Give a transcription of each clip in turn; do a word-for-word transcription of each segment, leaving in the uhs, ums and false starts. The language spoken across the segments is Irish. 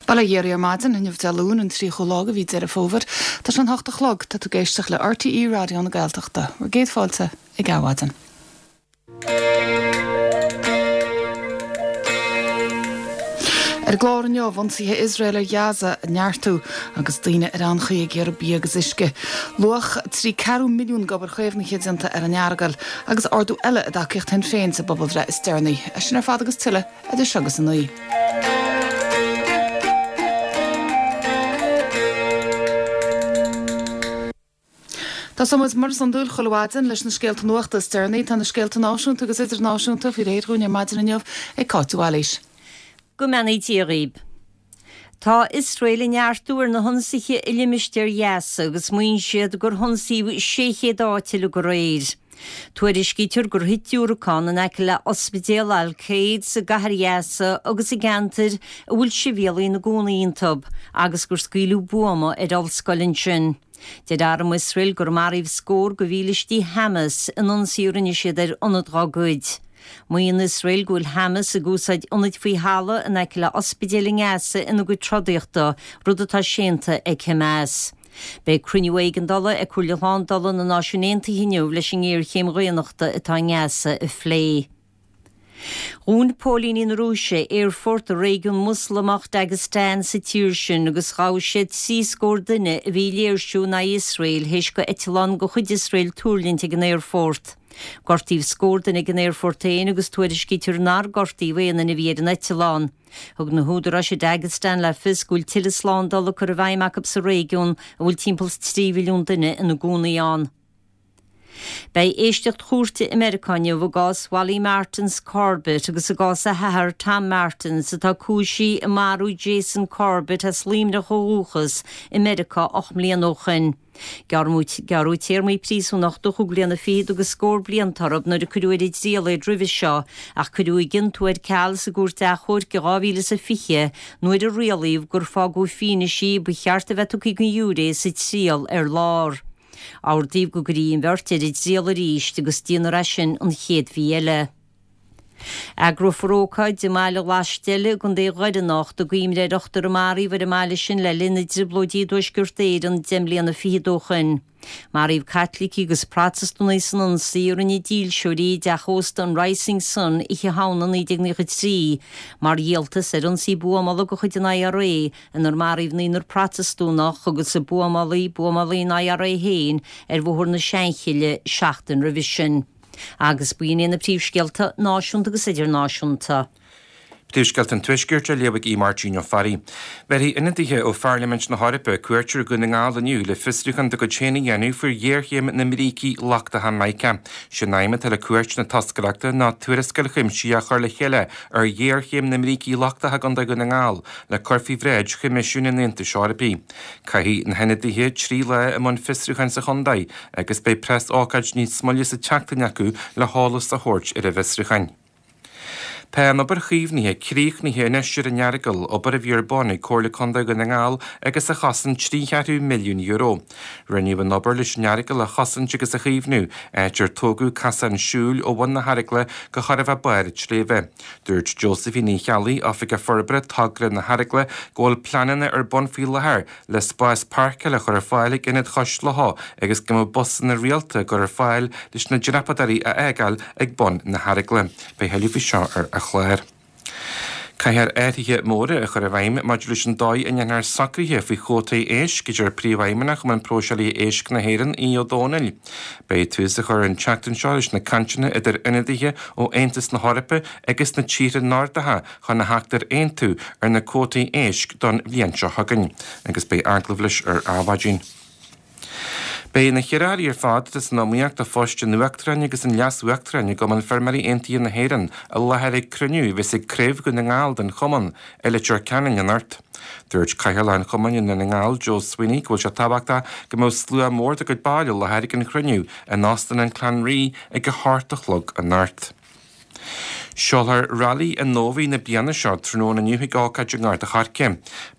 Bail ó Dhia oraibh ar maidin inniu Dé Luain an tríochú lá de mhí Deireadh Fómhair. Tá sé an hocht a chlog, tá tú ag éisteacht le RTÉ Raidió na Gaeltachta. Bhur gcéad fáilte ag Adhmhaidin. Ar an gclár inniu, ionsaithe Iosrael ar Ghaza a neartú agus daoine ar anchaoi ag iarraidh bia agus uisce. Luach trí ceathrú milliún d'obair chaomhnaithe déanta ar an Earagail agus ardú eile i dtacaíocht Shinn Féin sa bpobalbhreith is deireanaí. É sin ar fad agus tuilleadh idir seo agus a naoi. Tosóidh muid mar is iondúil chuile mhaidin leis na scéalta nuachta is deireanaí. Tá na scéalta náisiúnta agus idirnáisiúnta faoi réir dhúinn ar maidin inniu ag Cáit de Bhailís. Go mbeannaí Dia dhaoib. Tá Iosrael ag neartú ar na hionsaithe i limistéar Ghaza agus maíonn siad gur hionsaíodh sé chéad áit uilig aréir. Tuairiscítear gur thit diúracán in aice le Ospidéal Al-Quds i gcathair Ghaza agus i gceantair a bhfuil sibhialaigh ina gcónaí iontu agus gur scaoileadh buama ar ollscoil ansin. Deir arm Iosrael gur maraíodh scór de mhílistí Hamas in ionsaí a rinne siad ar ionad dá gcuid. Maíonn Iosrael go bhfuil Hamas ag úsáid ionaid faoi thalamh in aice le ospidéil i nGaza ina gcuid trodaíochta, rud atá séanta ag Hamas. Beidh cruinniú éigeandála ag Comhairle Shlándála na Náisiún Aontaithe inniu leis an ngéarchéim dhaonnachta atá i nGaza a phlé. Dhún póilíní na Rúise aerfort i réigiún Moslamach Dagestan sa tír sin agus ghabh siad trí scór duine a bhí ag léirsiú in aghaidh Iosrael théis do eitleán de chuid Iosrael tuirlingt ag an aerfort. Gortaíodh scór duine ag an aerfort féin agus tuairiscítear nár gortaíodh aon duine a bhí ar an eitleán. Thug na húdaráis i Dagestan le fios go bhfuil tuilleadh slándála curtha i bhfeidhm acu sa réigiún a bhfuil timpeall is trí mhilliún duine ina gcónaí ann. Beidh éisteacht chúirte i Meiriceá inniu i gcás Wally Martins Corbett agus i gcás a hathar Tom Martins atá cúisithe i marú Jason Corbett as Luimneach ó dhúchas i Meiriceá ocht mbliana ó shoin. Gearradh téarmaí príosúnachta chúig bliana fichead agus scór blianta orthu nuair a cuireadh ar a dtriail iad roimhe seo ach cuireadh a gciontú ar ceal sa gcúirt achomhairc i dhá mhíle is a fiche nuair a rialaíodh gur fágadh fianaisí ba cheart a bheith tugtha don ghiúiré sa triail ar lár. Ordaíodh go gcuirfí an bheirt ar a dtriail arís agus déanfar é sin an chéad mhí eile. Eagrófar ócáid i mBaile Laisteil i gContae Dhoire anocht i gcuimhne ar ochtar a maraíodh ar an mbaile sin le linn na dTrioblóidí i dTuaisceart Éireann deich mbliana fichead ó shoin. Maraíodh Caitlicigh agus Protastúnaigh san ionsaí a rinne dílseoirí i dteach ósta an Rising Sun Oíche Shamhna naoi déag naocha trí mar dhíoltas ar ionsaí buamála de chuid an IRA inar maraíodh naonúr Protastúnach agus a buamálaí, buamálaí an IRA féin, ar Bhóthar na Seanchille seachtain roimhe sin. Agus b'in iad na príomhscéalta náisiúnta agus idirnáisiúnta. Príomhscéalta an Tuaiscirt á léamh ag Aodh Máirtín Ó Fearraigh. Bhéarfaidh ionadaithe ó Pharlaimint na hEorpa cuairt ar Dhún na nGall inniu le fiosrúchán dá gcuid féin a dhéanamh faoi ghéarchéim na mbrící lochtacha mica. Sé an aidhm atá le cuairt na toscaireachta ná tuarascáil chuimsitheach a chur le chéile ar ghéarchéim na mbrící lochtacha i gContae Dhún na nGall le cur faoi bhráid Choimisiún an Aontais Eorpaigh. Caithfidh na hionadaithe trí lá i mbun fiosrúcháin sa chontae agus beidh preasócáid níos moille sa tseachtain acu le heolas a thabhairt ar a bhfiosrúcháin. Tá an obair chaomhnaithe críochnaithe anois ar an Earagail, obair a bhí ar bun ag Comhairle Contae Dhún na nGall agus a chosain trí cheathrú milliún euro. Rinneadh an obair leis an Earagail a chosaint agus a chaomhnú, áit ar tógadh casán siúil ó bhun na hEaragaile go chóir a bheith barr an tsléibhe. Dúirt Josephine Ní Cheallaigh, Oifigeach Forbartha Togra na hEaragaile, go bhfuil pleananna ar bun faoi láthair le spás páirceála a chur ar fáil ag Ionad Chois Locha agus go mbeadh busanna rialta á gcur ar fáil leis na dreapadóirí a fhágáil ag bun na hEaragaile. Beidh tuilleadh faoi seo ar an chlár. Caithfear athruithe móra a chur i bhfeidhm maidir leis an dóigh a ndéanfar socruithe faoi chuótaí éisc, a deir Príomhfheidhmeannach Chumann Próiseálaithe Éisc na hÉireann, Aodh Ó Domhnaill. Beidh tús á chur an tseachtain seo leis na cainteanna idir ionadaithe ó Aontas na hEorpa agus na tíortha Nordacha chun a theacht ar aontú ar na cuótaí éisc don bhliain seo chugainn agus beidh agallamh leis ar Adhmhaidin. Beidh na hiarrthóirí ar fad atá san iomaíocht do phoist an Uachtaráin agus an Leas-Uachtaráin i gCumann Feirmeoirí Aontaithe na hÉireann i láthair ag cruinniú a bheas ag Craobh Dhún na nGall den Chumann i Leitir Ceanainn anocht. Dúirt Cathaoirleach an Chumainn i nDún na nGall, Joe Sweeney, go bhfuil sé tábhachtach go mbeadh slua mór dá gcuid ball i láthair ag an chruinniú in Óstán an Clanree ag a hocht a chlog anocht. Seolfar Railí an Nómhaí na bliana seo tráthnóna inniu ag ócáid i nGort a' Choirce.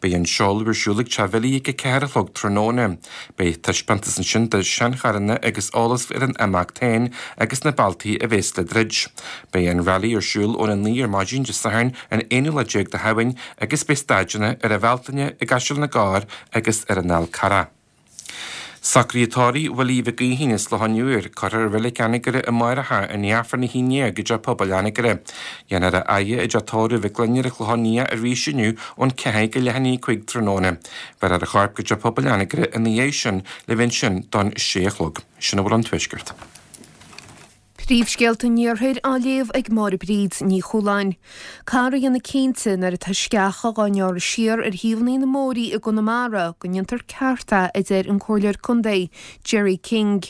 Beidh an seoladh ar siúl ag Teach Bhilly ag a ceathair a chlog tráthnóna. Beidh taispeántas ansin de sheancharranna agus eolas ar an imeacht féin agus na bealtaí a bheas le druid. Beidh an railí ar siúl óna naoi ar maidin Dé Sathairn an aonú lá déag de Shamhain agus beidh staideanna ar an Bhealtaine i gCaiseal na gCorr agus ar an Fhál Carrach. Socruithe tórraimh Willie Mhic Aoidhín as Loch an Iúir, cuirfear i Reilig Anagaire amárach é i ndiaidh Aifreann a haon déag i dTeach Pobail Anagaire. Déanfar a fhaire i dTeach Tórraimh Mhic Gloinn ar an Chlochán Liath arís inniu ón ceathair go leath i ndiaidh a cúig tráthnóna. Bhéarfar a chorp go Teach Pobail Anagaire ina dhiaidh sin le bheith ansin don sé a chlog. Sin a bhfuil ón Tuaisceart. Príomhscéalta an Iarthair á léamh ag Máire Bríd Ní Chualáin. Caithfear a dhéanamh cinnte nuair atá sceacha dhá ngearradh siar ar thaobhanna na mbóithrí i gConamara go ndéantar ceart é, a deir an Comhairleoir Contae Gerry King.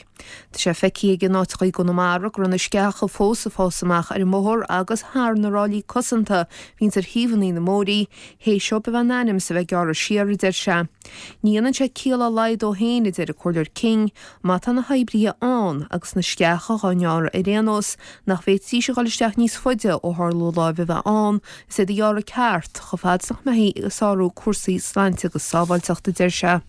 Tá sé feicthe aige in áiteacha i gConamara go raibh na sceacha fós ag fás amach ar an mbóthar agus thar na ráillí cosanta a bhíonns ar thaobhanna na mbóithrí, théis dóibh a bheith in ainm is a bheith gearrtha siar, a deir sé. Ní dhéanann sé ciall dá laghad dó féin, a deir an Comhairleoir King, má tá na hoibrithe ann agus na sceacha dhá ngearradh ar aon nós, nach bhféadfaidís a dhul isteach níos faide ó tharla láimh a bheith ann is iad a ghearradh ceart, chomh fada is nach mbeifí ag sárú cúrsaí sláinte agus sábháilteachta, a deir sé.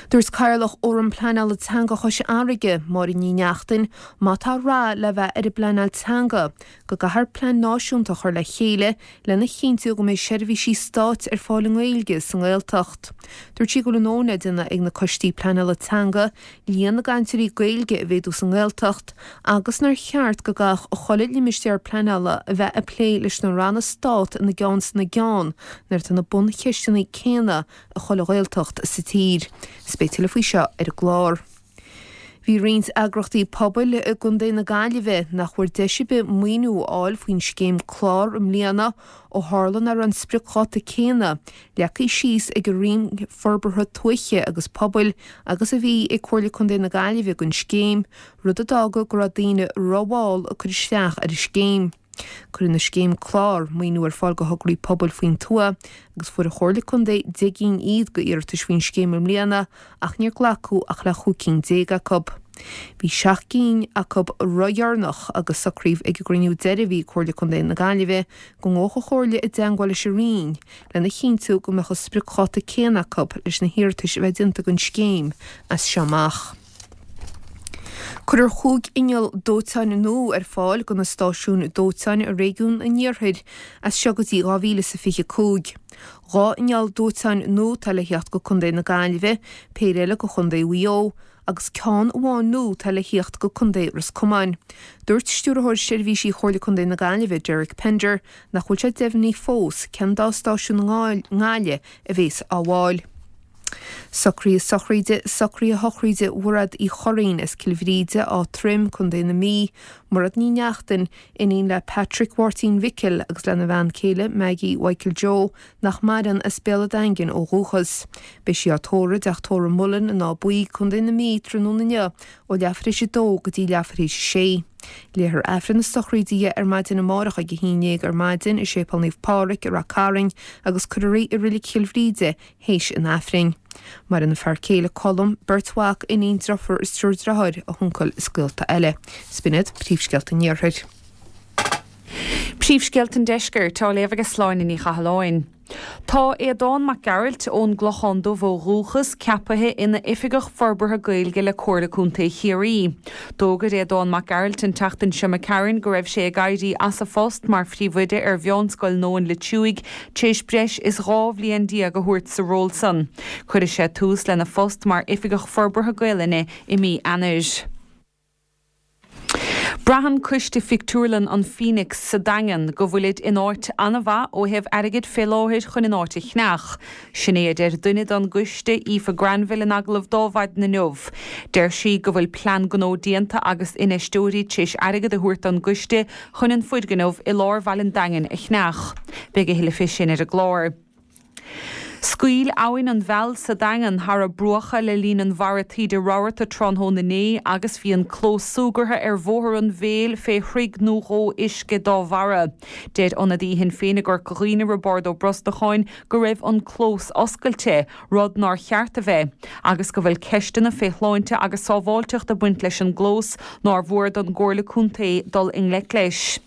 Dúirt Cathaoirleach Fhóram Pleanála Teanga Chois Fharraige, Máire Ní Neachtain, má tá rath le bheith ar an bpleanáil teanga, go gcaithfear plean náisiúnta a chur le chéile lena chinntiú go mbeidh seirbhísí stáit ar fáil i nGaeilge sa nGaeltacht. Dúirt sí go bhfuil a ndóthain le déanamh ag na coistí pleanála teanga líon na gcainteoirí Gaeilge a mhéadú sa nGaeltacht agus nár cheart go gcaithfeadh chuile limistéar pleanála a bheith ag plé leis na ranna stát ina gceann is ina gceann nuair atá na buncheisteanna céanna i chuile Ghaeltacht sa tír. Is beidh tuilleadh faoi seo ar an gclár. Bhí roinnt eagrachtaí pobail i gContae na Gaillimhe nach bhfuair deis ar bith maoiniú a fháil faoin scéim clár i mbliana ó tharla nach raibh an spriocdháta céanna leagtha síos ag an Roinn Forbartha Tuaithe agus Pobail agus a bhí ag Comhairle Contae na Gaillimhe don scéim, rud a d'fhága go raibh daoine rómhall ag cur isteach ar an scéim. Cuireann an scéim clár maoiniú ar fáil do thograí pobail faoin tuath agus fuair an Chomhairle Contae deich gcinn iad d'iarratais faoin scéim i mbliana ach níor glacadh ach le chúig cinn déag acu. Bhí seacht gcinn acu ródheireanach agus socraíodh ag an gcruinniú deiridh a bhí ag Comhairle Contae na Gaillimhe go ngabhfadh an Chomhairle i dteangmháil leis an Roinn lena chinntiú go mbeadh an spriocdháta céanna acu leis na hiarratais a bheith déanta don scéim as seo amach. Cuirfear chúig inneall dóiteáin nua ar fáil do na stáisiúin dóiteáin i réigiún an Iarthair as seo go dtí dhá mhíle is a fiche cúig. Dhá inneall dóiteáin nua atá le theacht go Contae na Gaillimhe, péire eile go Chontae Mhaigh Eo agus ceann amháin nua atá le theacht go Contae Ros Comáin. Dúirt Stiúrthóir Seirbhísí Chomhairle Contae na Gaillimhe, Derek Pender, nach bhfuil sé deimhnithe fós cén dá stáisiún i nGaillimh a bhéas á bhfáil. Socruithe sochraide, Socruithe sochraide Mhairéad Uí Churraoin as Cill Bhríde, Áth Troim, Contae na Mí, Mairéad Ní Neachtain, iníon le Patrick Mháirtín Mhicil agus lena bhean céile Maggie Mhichael Joe, nach maireann, as Béal an Daingin ó dhúchas. Beidh sí á tórramh i dTeach Tórraimh Mullen in Áth Buí, Contae na Mí, tráthnóna inniu ó leathuair tar éis a dó go dtí leathuair tar éis a sé. Léifear Aifreann na sochraide di ar maidin amárach ag a haon déag ar maidin i Séipéal Naomh Pádraig i Rath Cairn agus cuirfear í i Reilig Chill Bhríde théis an Aifrinn. Maireann a fear céile Colm, beirt mhac, iníon, deirfiúr is triúr deartháir, a huncail is gaolta eile. 'S b'in iad príomhscéalta an Iarthair. Príomhscéalta an Deiscirt á léamh ag Sláine Ní Chathalláin. Tá Aodán Mac Gearailt ón gClochán Dubh ó dhúchas ceapaithe ina Oifigeach Forbartha Gaeilge le Comhairle Contae Chiarraí. D'fhógair Aodán Mac Gearailt an tseachtain seo imigh tharainn go raibh sé ag éirí as a phost mar phríomhoide ar Mheánscoil Nóin Loitsiúigh tar éis breis is dhá bhliain déag a thabhairt sa ról san. Cuirfidh sé tús lena phost mar Oifigeach Forbartha Gaelainne i mí Eanáir. Braitheann coiste Phictiúrlann an Phoenix sa Daingean go bhfuilid in áit an-mhaith ó thaobh airgid fé láthair chun an áit a cheannach. Sin é a deir duine don gcoiste Aoife Granville in agallamh d'Adhmhaidin inniu. Deir sí go bhfuil plean gnó déanta agus infheisteoirí tar éis airgead a thabhairt don gcoiste chun an foirgneamh i lár bhaile an Daingin a cheannach. Beidh a thuilleadh fé sin ar an gclár. Scaoil abhainn an Mheall sa Daingean thar a bruacha le linn an bharra taoide rabharta tráthnóna inné agus bhí an clós súgartha ar Bhóthar an Mhéil fé throigh nó dhó uisce dá bharra. Deir ionadaí Shinn Féin i gCorca Dhuibhne Roibeárd Ó Brosnacháin go raibh an clós oscailte, rud nár cheart a bheith, agus go bhfuil ceisteanna fé shláinte agus sábháilteacht ag baint leis an gclós nár mhór don gComhairle Contae dul i ngleic leis.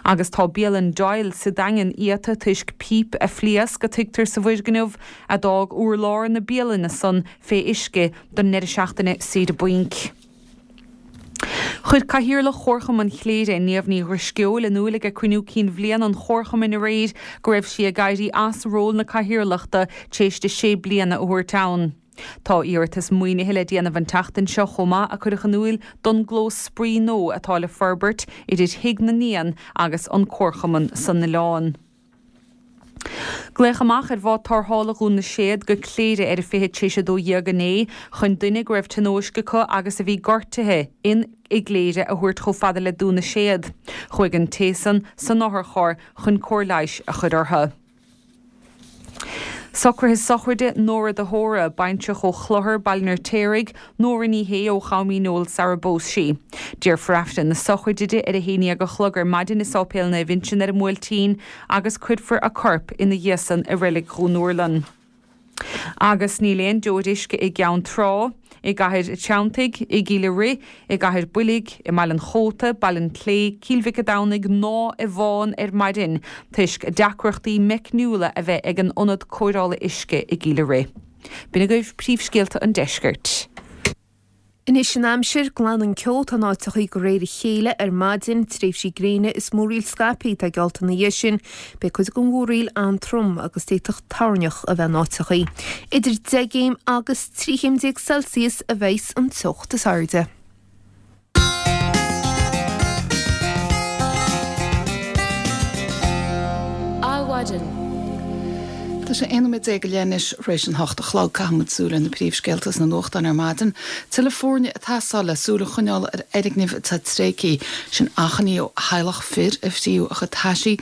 Agus tá bialann Doyle sa Daingean iata toisc píp a phléasc a tuigtear sa bhfoirgneamh a d'fhág urlár na bialainne san fé uisce don ndeireadh seachtaine saoire bainc. Chuir Cathaoirleach Chomharchumann Chléire, Niamh Ní Dhrisceoil, in iúl ag cruinniú cinn bhliana an Chomharchumainn aréir go raibh sí ag éirí as ról na cathaoirleachta tar éis di sé bliana a thabhairt ann. Tá iarratas maoinithe le déanamh an tseachtain seo chomh maith a cuireadh in iúl don gclós spraoi nua atá le forbairt idir Thigh na nÉan agus an Comharchumann san oileán. Glaodh amach ar bhád tarrthála Dhún na Séad go Cléire ar a fiche tar éis a dó dhéag inné chun duine go raibh tionóisc acu agus a bhí gortaithe in i gCléire a thabhairt chomh fada le Dún na Séad. Chuaigh an té san san otharcharr chun cóir leighis a chur orthu. Socruithe sochraide Nóra de hÓra, baintreach ó Chlochar, Baile an Fheirtéaraigh, Nóra Ní Shé ó Cham Neoil sara bpós sí. Déarfar Aifreann na sochraide di ar a haon déag a chlog ar maidin i Sáipéal Naomh Uinseann ar an mBuailtín agus cuirfear a corp ina dhiaidh san i Reilig Dhún Úrlann. Agus níl aon deoir uisce i gCeann Trá, i gCathair Treanntaigh, i gCill a' Rith, i gCathair Builg, i mBaile an Chóta, Baile an tSlé, Cill Mhic a' Domhnaigh ná i bhFán ar maidin toisc deacrachtaí meicniúla a bheith ag an ionad cóireála uisce i gCill a' Rith. B'in agaibh príomhscéalta an deiscirt. Anois an aimsir, glanann ceo atá in áiteachaí de réir a chéile ar maidin, tréimhsí gréine is múraíl scaipthe atá geallta ina dhiaidh sin. Beidh cuid den mhúraíl an-trom agus d'fhéadfadh toirneach a bheith in áiteachaí. Idir deich gcéim agus trí chéim déag Celsius a bheas an teocht is airde. Adhmhaidin. Tá sé aon nóiméad déag go leith anois tar éis an hocht a chlog. Caithfidh muid súil ar na príomhscéalta sna nuachtáin ar maidin. Tuilleadh foirne ag teastáil le súil a choinneáil ar fhoirgnimh atá tréigthe. Sin achainí ó theaghlach fir a fríodh a chuid taisí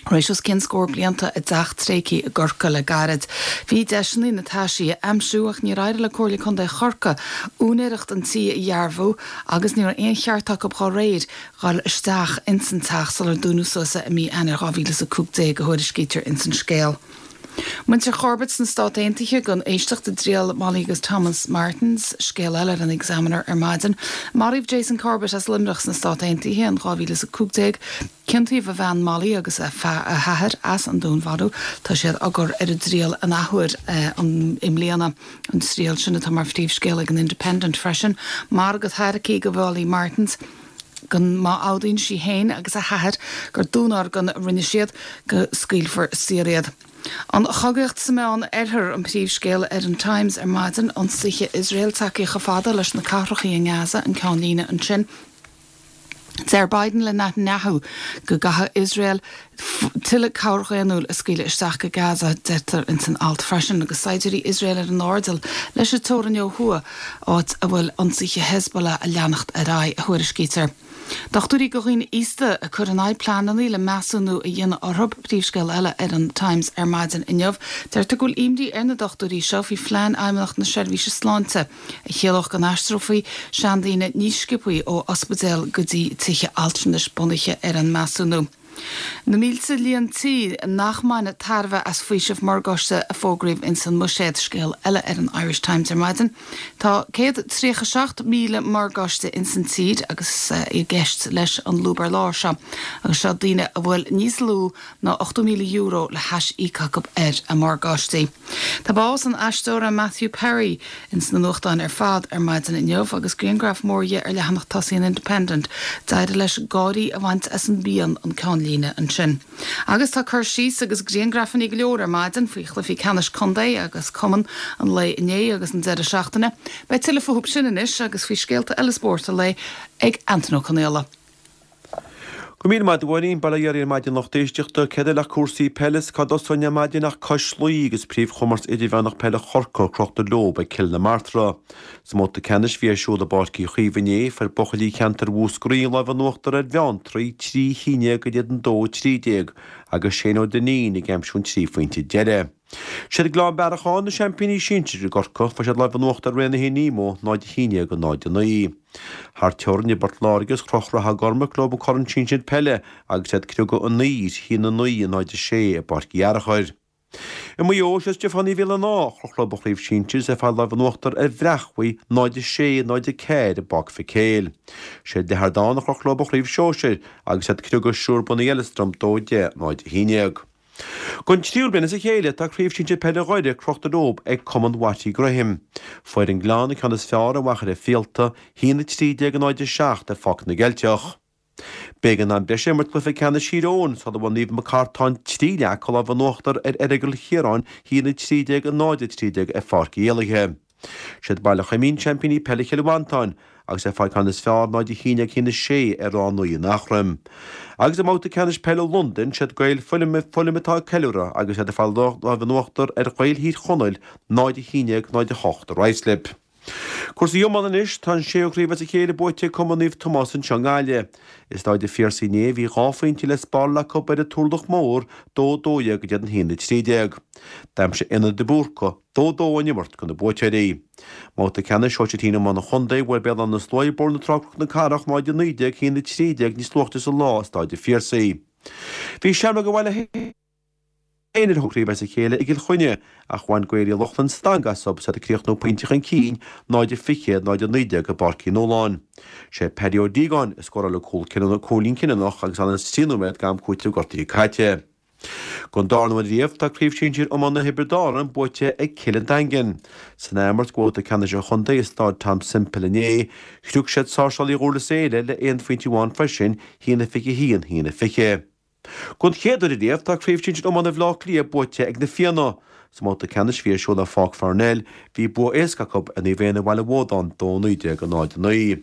tar éis os cionn scór blianta i dteach tréigthe i gCorcaigh le gairid. Bhí deiseanna na taisí a aimsiú ach níor éirigh le Comhairle Contae Chorcaí úinéireacht an tí a dhearbhú agus ní raibh aon cheart acu dá réir dhul isteach ins an teach sular dúnadh suas é i mí Eanáir dhá mhíle is a cúig déag, a thuairiscítear ins an scéal. Muintir Chorbett sna Stát Aontaithe gan éisteacht i dtriail Molly agus Thomas Martins, scéal eile ar an Examiner ar maidin. Maraíodh Jason Corbett as Luimneach sna Stát Aontaithe in dhá mhíle is a cúig déag. Ciontaíodh a bhean Molly agus a hathair as an dúnmharú. Tá siad á gcur ar a dtriail an athuair i mbliana. An triail sin atá mar phríomhscéal ag an Independent freisin. Margadh táirgí do Mholly Martins go má admhaíonn sí féin agus a hathair gur dúnorgain a rinne siad, go scaoilfear saor iad. An chogaíocht sa Meán Oirthear an príomhscéal ar an Times ar maidin, ionsaithe Iosrael tagtha chomh fada leis na cathracha i nGaza, an ceannlíne ansin. Deir Biden le Netanyahu go gcaithfidh Iosrael tuilleadh cabhair dhaonnúil a scaoileadh isteach go Gaza, deirtear ins an alt freisin, agus saighdiúirí Iosrael ar an airdeall leis an teorainn ó thuaidh, áit a bhfuil ionsaithe Hezbollah a leanacht ar aghaidh, a thuairiscítear. Dochtúirí do dhaoine aosta ag cur in aghaidh pleananna le measúnú a dhéanamh orthu, príomhscéal eile ar an Times ar maidin inniu. Deirtear go bhfuil imní ar na dochtúirí seo faoi phlean Fheidhmeannacht na Seirbhíse Sláinte a chiallódh go n-aistreofaí seandaoine níos sciobthaí ó ospidéil go dtí tithe altranais bunaithe ar an measúnú. Na mílte líon tí nach mbainfidh tairbhe as faoiseamh morgáiste a fógraíodh ins an mBuiséad, scéal eile ar an Irish Times ar maidin. Tá céad tríocha seacht míle morgáiste ins an tír agus i gceist leis an lúb ar lár seo agus seo daoine a bhfuil níos lú ná ochtó míle euro le hais-íoc acu ar a morgáistí. Tá bás an aisteora Matthew Perry ins na nuachtáin ar fad ar maidin inniu agus grianghraf mór dhe ar leathanach tosaigh an Independent. D'éirigh leis gáirí a bhaint as an bpian an ceannlíne ansin. Agus tá cur síos agus grianghrafanna go leor ar maidin faoi chluichí ceannais contae agus cumann an lae inné agus an deireadh seachtaine. Beidh tuilleadh fúthu sin anois agus faoi scéalta eile spóirt an lae ag Antain Ó Conaola. Go míle maith agat a Mháirín, bail ó Dhia oraibh ar maidin lucht éisteachta, céard eile ach cúrsaí peile is cá dtosóinn ar maidin ach cois Laoi agus príomhchomórtas idirmheánach peile Chorcaí crochta leob ag Cill na Martra. Sa mbabhta ceannais a bhí ar siúl i bPáirc Uí Chaoimh inné, fuair buachaillí cheantar Mhúscraí an lámh in uachtar ar Bheanntraí trí a haon déag in éadan dó a trí déag agus Shane Ó Duinnín ag aimsiú an trí phointe deiridh. Siad Gleann Bearacháin na seaimpíní sinsir i gCorcaigh, fuair siad lámh in uachtar ar Rae na hInímo, náid a haon déag náid a naoi. Thar teorainn i bPort Láirge is chroch Ráth Gormaic leo an corn sinsir peile agus iad ag criogadh anoir, a haon a naoi, náid a sé i bPáirc Uí Fhearchair. I Maigh Eo, sé Stiofánaigh Bhéal an Átha a chroch leo an chraobh sinsir is ag fáil lámh in uachtar ar Bhreachmhaigh náid a sé, náid a ceathair i bPáirc Mhic Éil. Sé Leitir Ardáin a chroch leo an chraobh shóisir agus iad ag criogadh Siúr Bunaithe Eileastram dó deich, náid a haon déag. Don tríú bliain as a chéile tá Craobh Sinsir Peile Dhoire crochta leo ag Cumann Watty Graham. Fuair an Gleann an ceann is fearr ar Mhachaire Fíolta, haon a trí déag a náid a seacht ar Pháirc na gCeilteach. B'éigean am breise a imirt cluiche ceannais Thír Eoghain sula bhfuair Naomh Mac Cairteáin trí leath acu lámh in uachtar ar Errigal Chiaráin haon a trí déag a náid a trí déag ar Pháirc Uí Éallaithe. Siad Baile Choimín seaimpíní peile Chill Mhantáin agus ag fáil ceann is fearr náid a haon déag haon a sé ar Ráth an Uí in Eachroim. Agus i mbabhta ceannais peile Londain siad Gaeil Fulham Fulham atá ag ceiliúradh agus iad ag fáil lámh in uachtar ar Ghaeil Thír Chonaill náid a haon déag náid a hocht i Ruislip. Cúrsaí iomána anois, tá an séú craobh as a chéile buaite ag Cumann Naomh Tomás anseo i nGaillimh. I Stáid an Phiarsaigh inné bhí dhá phointe le spáráil acu ar an Turlach Mór, dó dó dhéag in éadan haon a trí déag. D'aimsigh Éanna de Búrca dó dó ón imirt do na buaiteoirí. I mbabhta ceannais sóisir a haon iomána an chontae, bhuail Béal Átha na Sluaighe Bóthar na Trá Cnoc na Cathrach náid a naoi déag haon a trí déag níos luaithe sa lá i Stáid an Phiarsaigh. Bhí Seamróg an bhaile féin ar thóir craoibhe as a chéile i gCill Chainnigh ach bhain Gaeil Uí Lochlainn stangadh astu is iad ag críochnú pointe chun cinn, náid a fiche, náid a naoi déag i bPáirc Uí Nualláin. Sé Paddy Ó Díogáin a scóráil an cúl cinniúnach, cúilín cinniúnach agus aon trí nóiméad d'am cúitimh gortaithe caite. Don darna huair riamh tá Craobh Sinsir Iomána Thiobraid Árann buaite ag Cill an Daingin. San athimirt de bhabhta ceannais an chontae i Stáid Tom Semple inné, chrioc siad Sáirséalaigh Dhurlas Éile le aon phointe amháin freisin, haon a fiche haon, haon a fiche. Don chéad uair riamh tá Craobh Sinsir Iomána Bhaile Átha Cliath buaite ag na Fianna. Sa mbabhta ceannais a bhí ar siúl ar Pháirc Pharnell, bhí bua éasca acu ar Naomh Éanna Bhaile Bhuadáin, dó naoi déag a náid a naoi.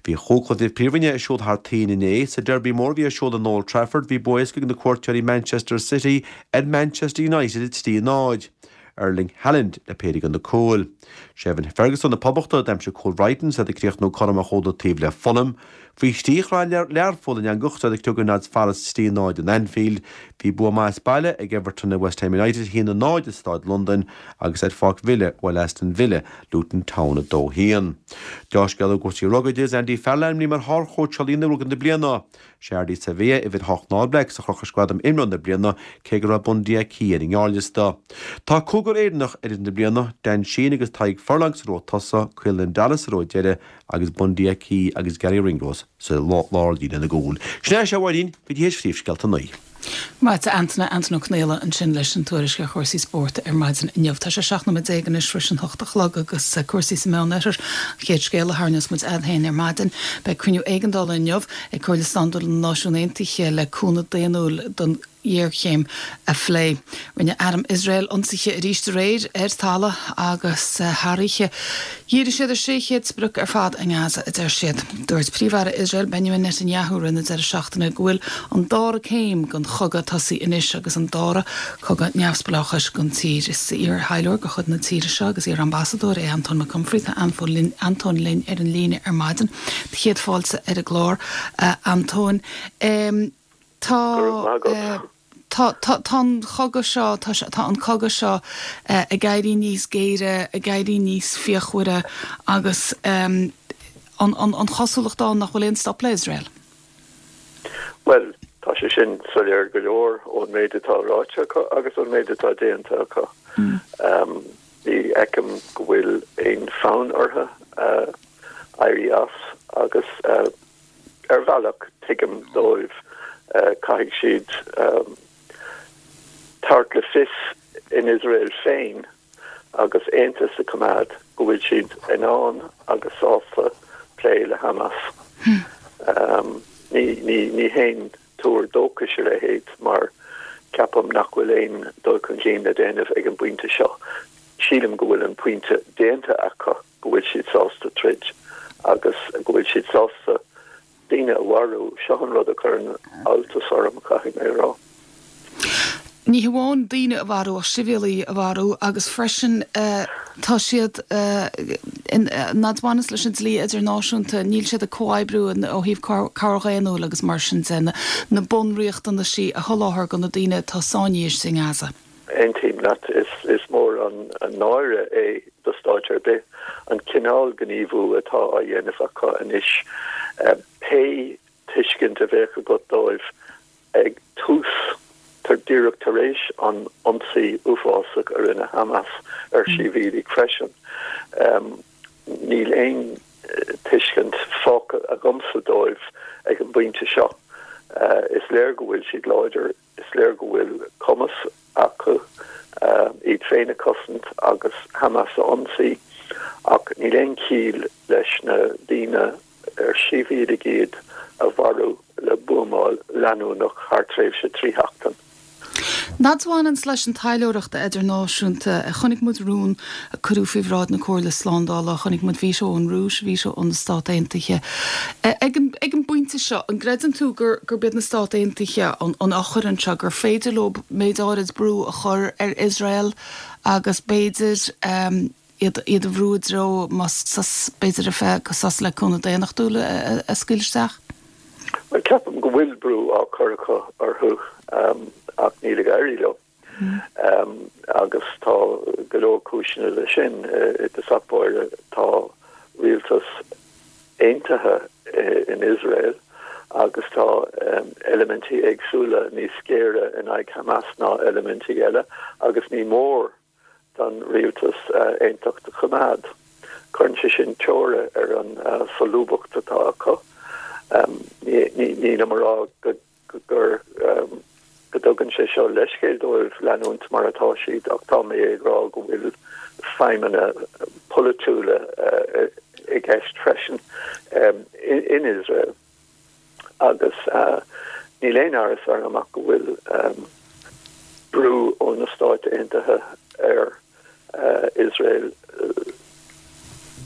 Bhí chúig chluiche Príomhroinne ar siúl thar toinn inné. Sa Derby mór a bhí ar siúl in Old Trafford, bhí bua éasca ag na cuairteoirí Manchester City ar Manchester United a trí a náid. Erling Haaland le péire de na cúil. Sé Evan Ferguson na Poblachta a d'aimsigh cúl Bhrighton is iad ag críochnú cothrom ar chúl an taobh le Fulham. Faoi thrí chroith Learpholl an eangach is iad ag criogadh Notts Forest trí náid in Anfield. Bhí bua maith as baile ag Everton ar West Ham United, a haon a náid i Staid Londain agus ar Pháirc Villa bhuail Aston Villa Luton Town a dó haon. Deá-scéala i gcúrsaí rugbaí de is Andy Farrell ainmnithe mar shárchóitseálaí na rugbaí na bliana. Sé Ardie Savea, uimhir a hocht na All Blacks, a chroch leis gradam Imreoir na Bliana, cé go raibh Bundee Aki ar an ngearrliosta. Tá cúigear Éireannach ar fhoireann na bliana, Dan Sheehan agus Tadhg Furlong sa ró tosaigh, Caelan Doris sa ró deiridh agus Bundee Aki agus Garry Ringrose sa lárlíne na gcúl. Sin é, a Mháirín, go dtí théis phríomhscéalta a naoi. Maith a Antaine, Antaine Ó Conaola ansin leis an tuairisc ar chúrsaí spóirt ar maidin inniu. Tá sé seacht nóiméad déag anois tar éis an hocht a chlog agus cúrsaí sa Meánoirthear, an chéad scéal a tharraingeos muid agat féin ar maidin. Beidh cruinniú éigeandála inniu ag Comhairle Slándála na Náisiún Aontaithe le cúnamh daonnúil don ghéarchéim a phlé. Rinne arm Iosrael ionsaithe arís aréir ar talamh agus thar oíche. Dhírigh siad ar sé chéad sprioc ar fad i nGaza, a deir siad. Dúirt Príomh-Aire Iosrael Benjamin Netanyahu roimh an deireadh seachtaine go bhfuil an dara céim den chogadh tosaithe anois agus an dara cogadh neamhspleáchais don tír. Is iar-thaidhleoir de chuid na tíre seo agus iar-ambasadóir é Antóin Mac Unfraidh. Tá Antóin linn ar an líne ar maidin. Do chéad fáilte ar an gclár, a Antóin. Tá tá tá an chogadh seo tá tá an cogadh seo ag éirí níos géire, ag éirí níos fíochmhaire agus an an an chosúlacht ann nach bhfuil aon stop le Iosrael. Bhuel, tá sé sin soiléir go leor ón méid atá ráite acu agus ón méid atá déanta acu. Ní fheicim go bhfuil aon fonn orthu éirí as agus ar bhealach tuigim dóibh, caithfidh siad tabhairt le fios in Iosrael féin agus aontas a choimeád go bhfuil siad in ann agus sásta plé le Hamas. Ní ní haon tuar dóchais a leithéid mar ceapaim nach bhfuil aon dul chun cinn le déanamh ag an bpointe seo. Sílim go bhfuil an pointe déanta acu go bhfuil siad sásta troid agus go bhfuil siad sásta daoine a mharú. Seo an rud a chuireann alltas orm, caithfidh mé a rá. Ní hamháin daoine a mharú ach sibhialaigh a mharú agus freisin tá siad ag baineas leis an dlí idirnáisiúnta, níl siad ag comhoibriú ó thaobh cabhair dhaonnúil agus mar sin de, na bunriachtanaisí a sholáthar do na daoine atá sáinnithe istigh i nGaza. Aontaím leat. Is mór an náire é do stáit ar bith an cineál gníomhú atá á dhéanamh acu anois. Pé tuiscint a bheadh agat dóibh ag tús díreach tar éis an ionsaí uafásach a rinne Hamas ar shibhialaigh freisin. Níl aon tuiscint fágtha agamsa dóibh ag an bpointe seo. Is léir go bhfuil siad láidir, is léir go bhfuil cumas acu iad féin a chosaint agus Hamas a ionsaí, ach níl aon chiall leis na daoine ar sibhialaigh iad a mharú le buamáil leanúnach thar tréimhse trí sheachtain. Nod a bhaineanns leis an taidhleoireacht idirnáisiúnta, chonaic muid rún a cuireadh faoi bhráid na Comhairle Slándála, chonaic muid veto ón Rúis, veto ó na Stát Aontaithe. Ag an bpointe seo, an gcreideann tú gurb iad na Stát Aontaithe an eochair anseo, gur féidir leo méid áirid brú a chur ar Iosrael agus b'fhéidir iad a bhrú i dtreo, más sos, b'fhéidir ar feadh sos le cúnamh daonnachtúil a scaoileadh isteach? Bhuel, ceapaim go bhfuil brú á chur acu orthu ach níl ag éirí leo. Agus tá go leor cúiseanna leis sin. I dtosach báire tá rialtas aontaithe in Iosrael agus tá eilimintí éagsúla níos géire in aghaidh Hamas ná eilimintí eile agus ní mór don rialtas aontacht a choimeád. Cuireann sé sin teora ar an solúbthacht atá acu. Nílim ag rá go gur go dtugann sé seo leithscéal dóibh leanúint mar atá siad ach tá mé ag rá go bhfuil feidhmeanna polaitiúla i gceist freisin in Iosrael agus níl aon amhras orm ach go bhfuil brú ó na Stáit Aontaithe ar Iosrael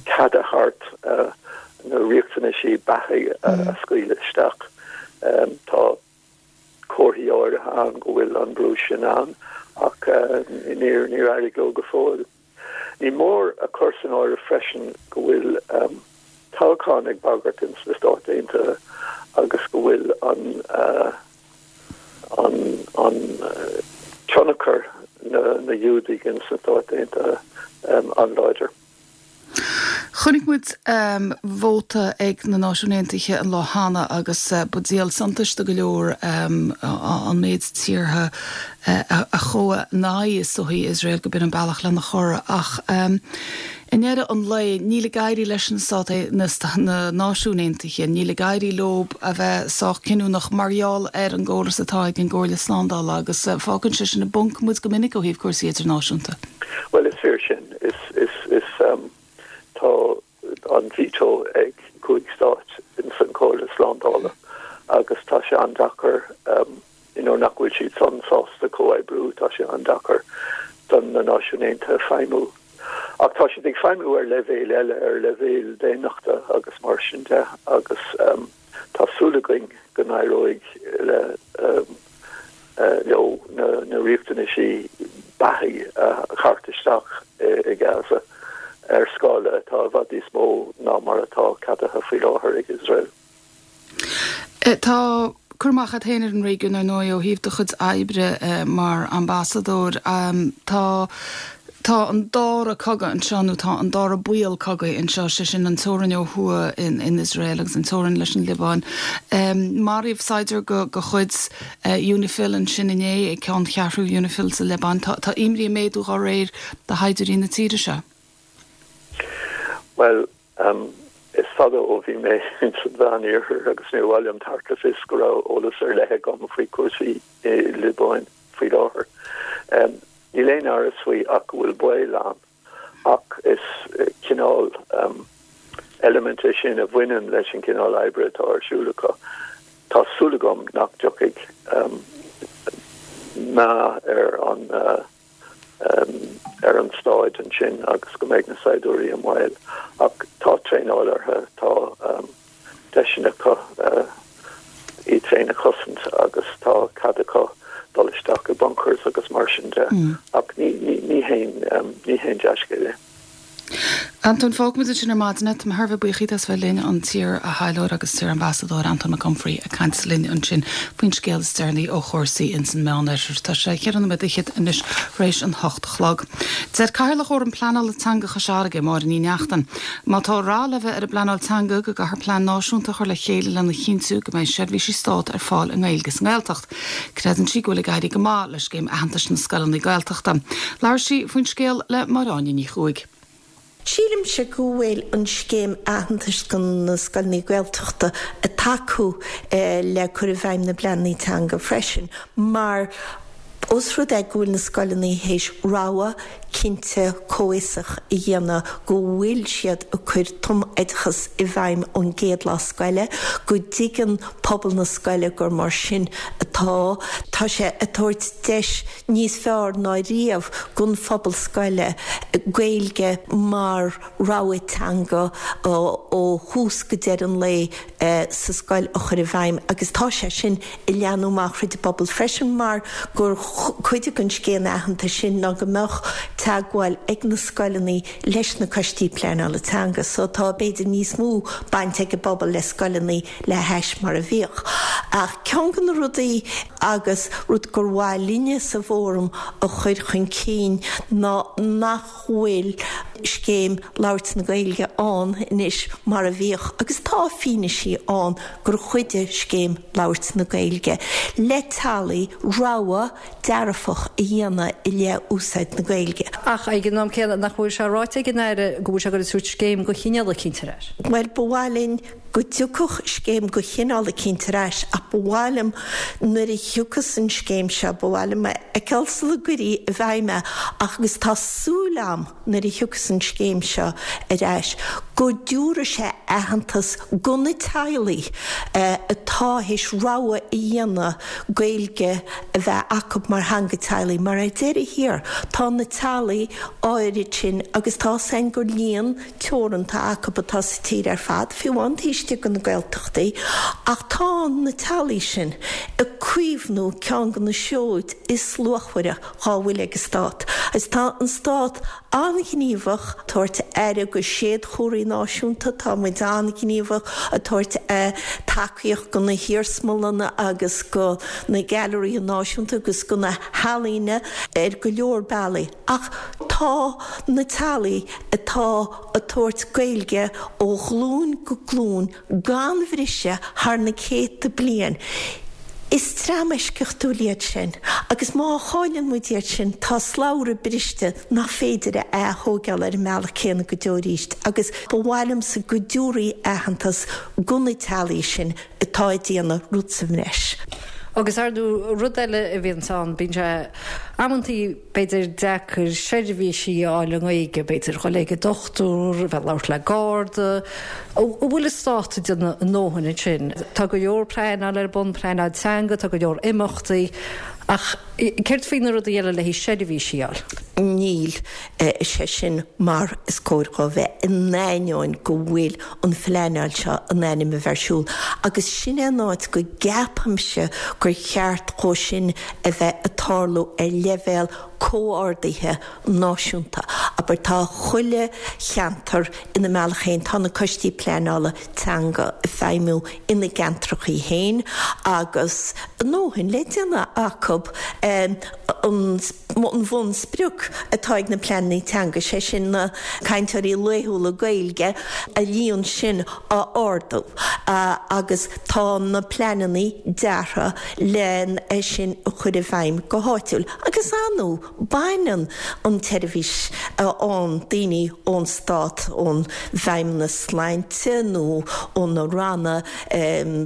cead a thabhairt na riachtanaisí beatha a scaoileadh isteach. Tá comharthaí áirithe ann go bhfuil an brú sin ann ach níor níor éirigh leo go fóill. Ní mór a chur san áireamh freisin go bhfuil toghchán ag bagairt ins na Stáit Aontaithe agus go bhfuil an an an tionchar na na Giúdaigh ins na Stáit Aontaithe an-láidir. Chonaic muid vóta ag na Náisiúin Aontaithe an lá cheana agus ba díol suntais do go leor an méid tíortha a chuaigh in aghaidh is dóichí Iosrael go b'in an bealach lena chur ach i ndeireadh an lae níl ag éirí leis na Stáit na Náisiúin Aontaithe, níl ag éirí leo a bheith sách cinniúnach mar gheall ar an gcóras atá ag an gComhairle Slándála agus fágann sé sin i bponc muid go minic ó thaobh cúrsaí idirnáisiúnta. Bhuel is fíor sin. Is is is tá an veto ag cúig stát ins an Chomhairle Slándála agus tá sé an-deacair you know nach bhfuil siad san sásta comhoibriú, tá sé an-deacair don na Náisiúin Aontaithe feidhmiú. Ach tá siad ag feidhmiú ar leibhéal eile, ar leibhéal daonnachta agus mar sin de agus tá súil againn go n-éireoidh le leo na na riachtanaisí beatha a thabhairt isteach i Gaza ar scála atá i bhfad níos mó ná mar atá ceadaithe faoi láthair ag Iosrael. Tá cur amach agat féin ar an réigiún ar ndóigh ó thaobh do chuid oibre mar ambasadóir. Tá Tá an dara cogadh anseo, nó tá an dara baol cogaidh anseo, sé sin an teorainn ó thuaidh in Iosrael agus an teorainn leis an Liobáin. Maraíodh saighdiúir de chuid Unifil ansin inné ag ceanncheathrú Unifil sa Liobáin. Tá imní ag méadú dá réir do shaighdiúirí na tíre seo. Bhuel, is fada ó bhí mé ins an Mheán-Iarthar agus níor mhaith liom tabhairt le fios go raibh eolas ar leith agam faoi chúrsaí i Liobáin faoi láthair. Níl aon amhras faoi ach go bhfuil baol ann, ach is cineál eilimint é sin a bhaineann leis an gcineál oibre atá ar siúl acu. Tá súil agam nach dtiocfaidh meath ar an ar an staid ansin agus go mbeidh na saighdiúirí i mbaol. Ach tá traenáil orthu, tá deiseanna acu iad féin a chosaint agus tá cead acu dul isteach i bunkers agus mar sin de. Ach ní haon ní haon dea-scéal é. Antóin, fágfaimid ansin ar maidin é. Tá mé thar a bheith buíoch díot as bheith linn, an t-iar-thaidhleoir agus t-iar-ambasadóir Antóin Mac Unfraidh ag caint linn ansin faoin scéal is deireanaí ó chúrsaí ins an Meánoirthear. Tá sé cheithre nóiméad fhichead anois tar éis an hocht a chlog. Deir Cathaoirleach Fhóram Pleanála Teanga Chois Fharraige, Máire Ní Neachtain, má tá rath le bheith ar an bpleanáil teanga go gcaithfear plean náisiúnta a chur le chéile lena chinntiú go mbeidh seirbhísí stáit ar fáil i nGaeilge sa nGaeltacht. Creideann sí go bhfuil ag éirí go maith le scéim aitheantais na scoileanna Gaeltachta. Labhair sí faoin scéal le Máire Áine Ní Chuaig. Sílimse go bhfuil an scéim aitheantais do na scoileanna Gaeltachta ag tacú le cur i bhfeidhm na bpleananna teanga freisin mar os rud é go bhfuil na scoileanna théis rogha cinnte comhfhiosach a dhéanamh go bhfuil siad ag cur tumoideachas i bhfeidhm ón gcéad lá scoile, go dtuigeann pobal na scoile gur mar sin atá, tá sé ag tabhairt deis níos fearr ná riamh don phobal scoile Gaeilge mar rogha teanga ó thús go deireadh an lae sa scoil a chur i bhfeidhm agus tá sé sin ag leathnú amach thríd an bpobal freisin mar gur cuid den scéim aitheantais sin ná go mbeadh teagmháil ag na scoileanna leis na coistí pleanála teanga so tá b'fhéidir níos mó baint ag an bpobal le scoileanna le hais mar a bhíodh. Ach ceann de na rudaí agus rud gur mhaith linne sa bhFóram a chur chun cinn ná nach bhfuil scéim labhairt na Gaeilge ann anois mar a bhíodh agus tá fianaisí ann gur chuidigh scéim labhairt na Gaeilge le teaghlaigh rogha dearfach a dhéanamh i leith úsáid na Gaeilge. Ach ag an am céanna, nach bhfuil sé ráite ag an Aire go bhfuil sé ag goil ag tabhairt scéim de chineál eicínt ar ais? Bhuel, ba mhaith linn go dtiocfadh scéim de chineál eicínt ar ais ach ba mhaith liom nuair a thiocfas an scéim seo, ba mhaith liom a fheiceáil sula gcuirí i bhfeidhm é ach agus tá súil a'm nuair a thiocfas an scéim seo ar ais go dtiúrfaidh sé aitheantas go na teaghlaigh atá théis rogha a dhéanamh Gaeilge a bheith acu mar theanga teaghlaigh mar ar deireadh thiar tá na teaghlaigh áirid sin agus tá 's a'inn gur líon teoranta acu atá sa tír ar fad, fiú amháin taobh istigh de na Gaeltachtaí, ach tá na teaghlaigh sin ag caomhnú ceann de na seoid is luachmhaire dhá bhfuil ag an Stát. Agus tá an Stát an-ghníomhach ag tabhairt aire go séadchomharthaí náisiúnta, tá muid an-ghníomhach ag tabhairt tacaíocht go na hiarsmalanna agus go na gailearaithe náisiúnta agus go na healaíona ar go leor bealaí. Ach tá na teaghlaigh atá ag tabhairt Gaeilge ó ghlúin go glúin gan bhriseadh thar na céadta bliain, is dream eisceachtúil iad sin agus má chailleann muid iad sin tá slabhra briste nach féidir a ath-thógáil ar an mbealach céanna go deo arís agus ba mhaith liomsa go dtabharfaí aitheantas go na teaghlaigh sin atá ag déanamh rud sa bhreis. Agus ar ndóigh rud eile a bhíonns ann, bíonn sé amantaí b'fhéidir deacair seirbhísí a fháil i nGaeilge, b'fhéidir dhul ag an dochtúir, bheith ag labhairt le garda. An bhfuil an stát ag déanamh a ndóthain ansin? Tá go leor pleanáil ar bun, pleanáil teanga, tá go leor imeachtaí, ach céard faoi na rudaí eile le haghaidh seirbhísí a fháil? Níl sé sin mar is cóir dhó bheith, in ainneoin go bhfuil an phleanáil seo in ainm a bheith ar siúl. Agus sin é an áit go gceapaimse gur cheart dhó sin a bheith ag tarlú ar leibhéal comhordaithe náisiúnta. Abair, tá chuile cheantar ina mbealach féin, tá na coistí pleanála teanga ag feidhmiú ina gceantrachaí féin agus a ndóthain le déanamh acu an bhunsprioc atá ag na pleananna teanga, sé sin na cainteoirí laethúla Gaeilge, a líon sin a ardú agus tá na pleananna deartha len é sin a chur i bhfeidhm go háitiúil agus ar ndóigh baineann an tseirbhís a fhaigheann daoine ón stát, ón bhFeidhmeannas Sláinte nó ó na ranna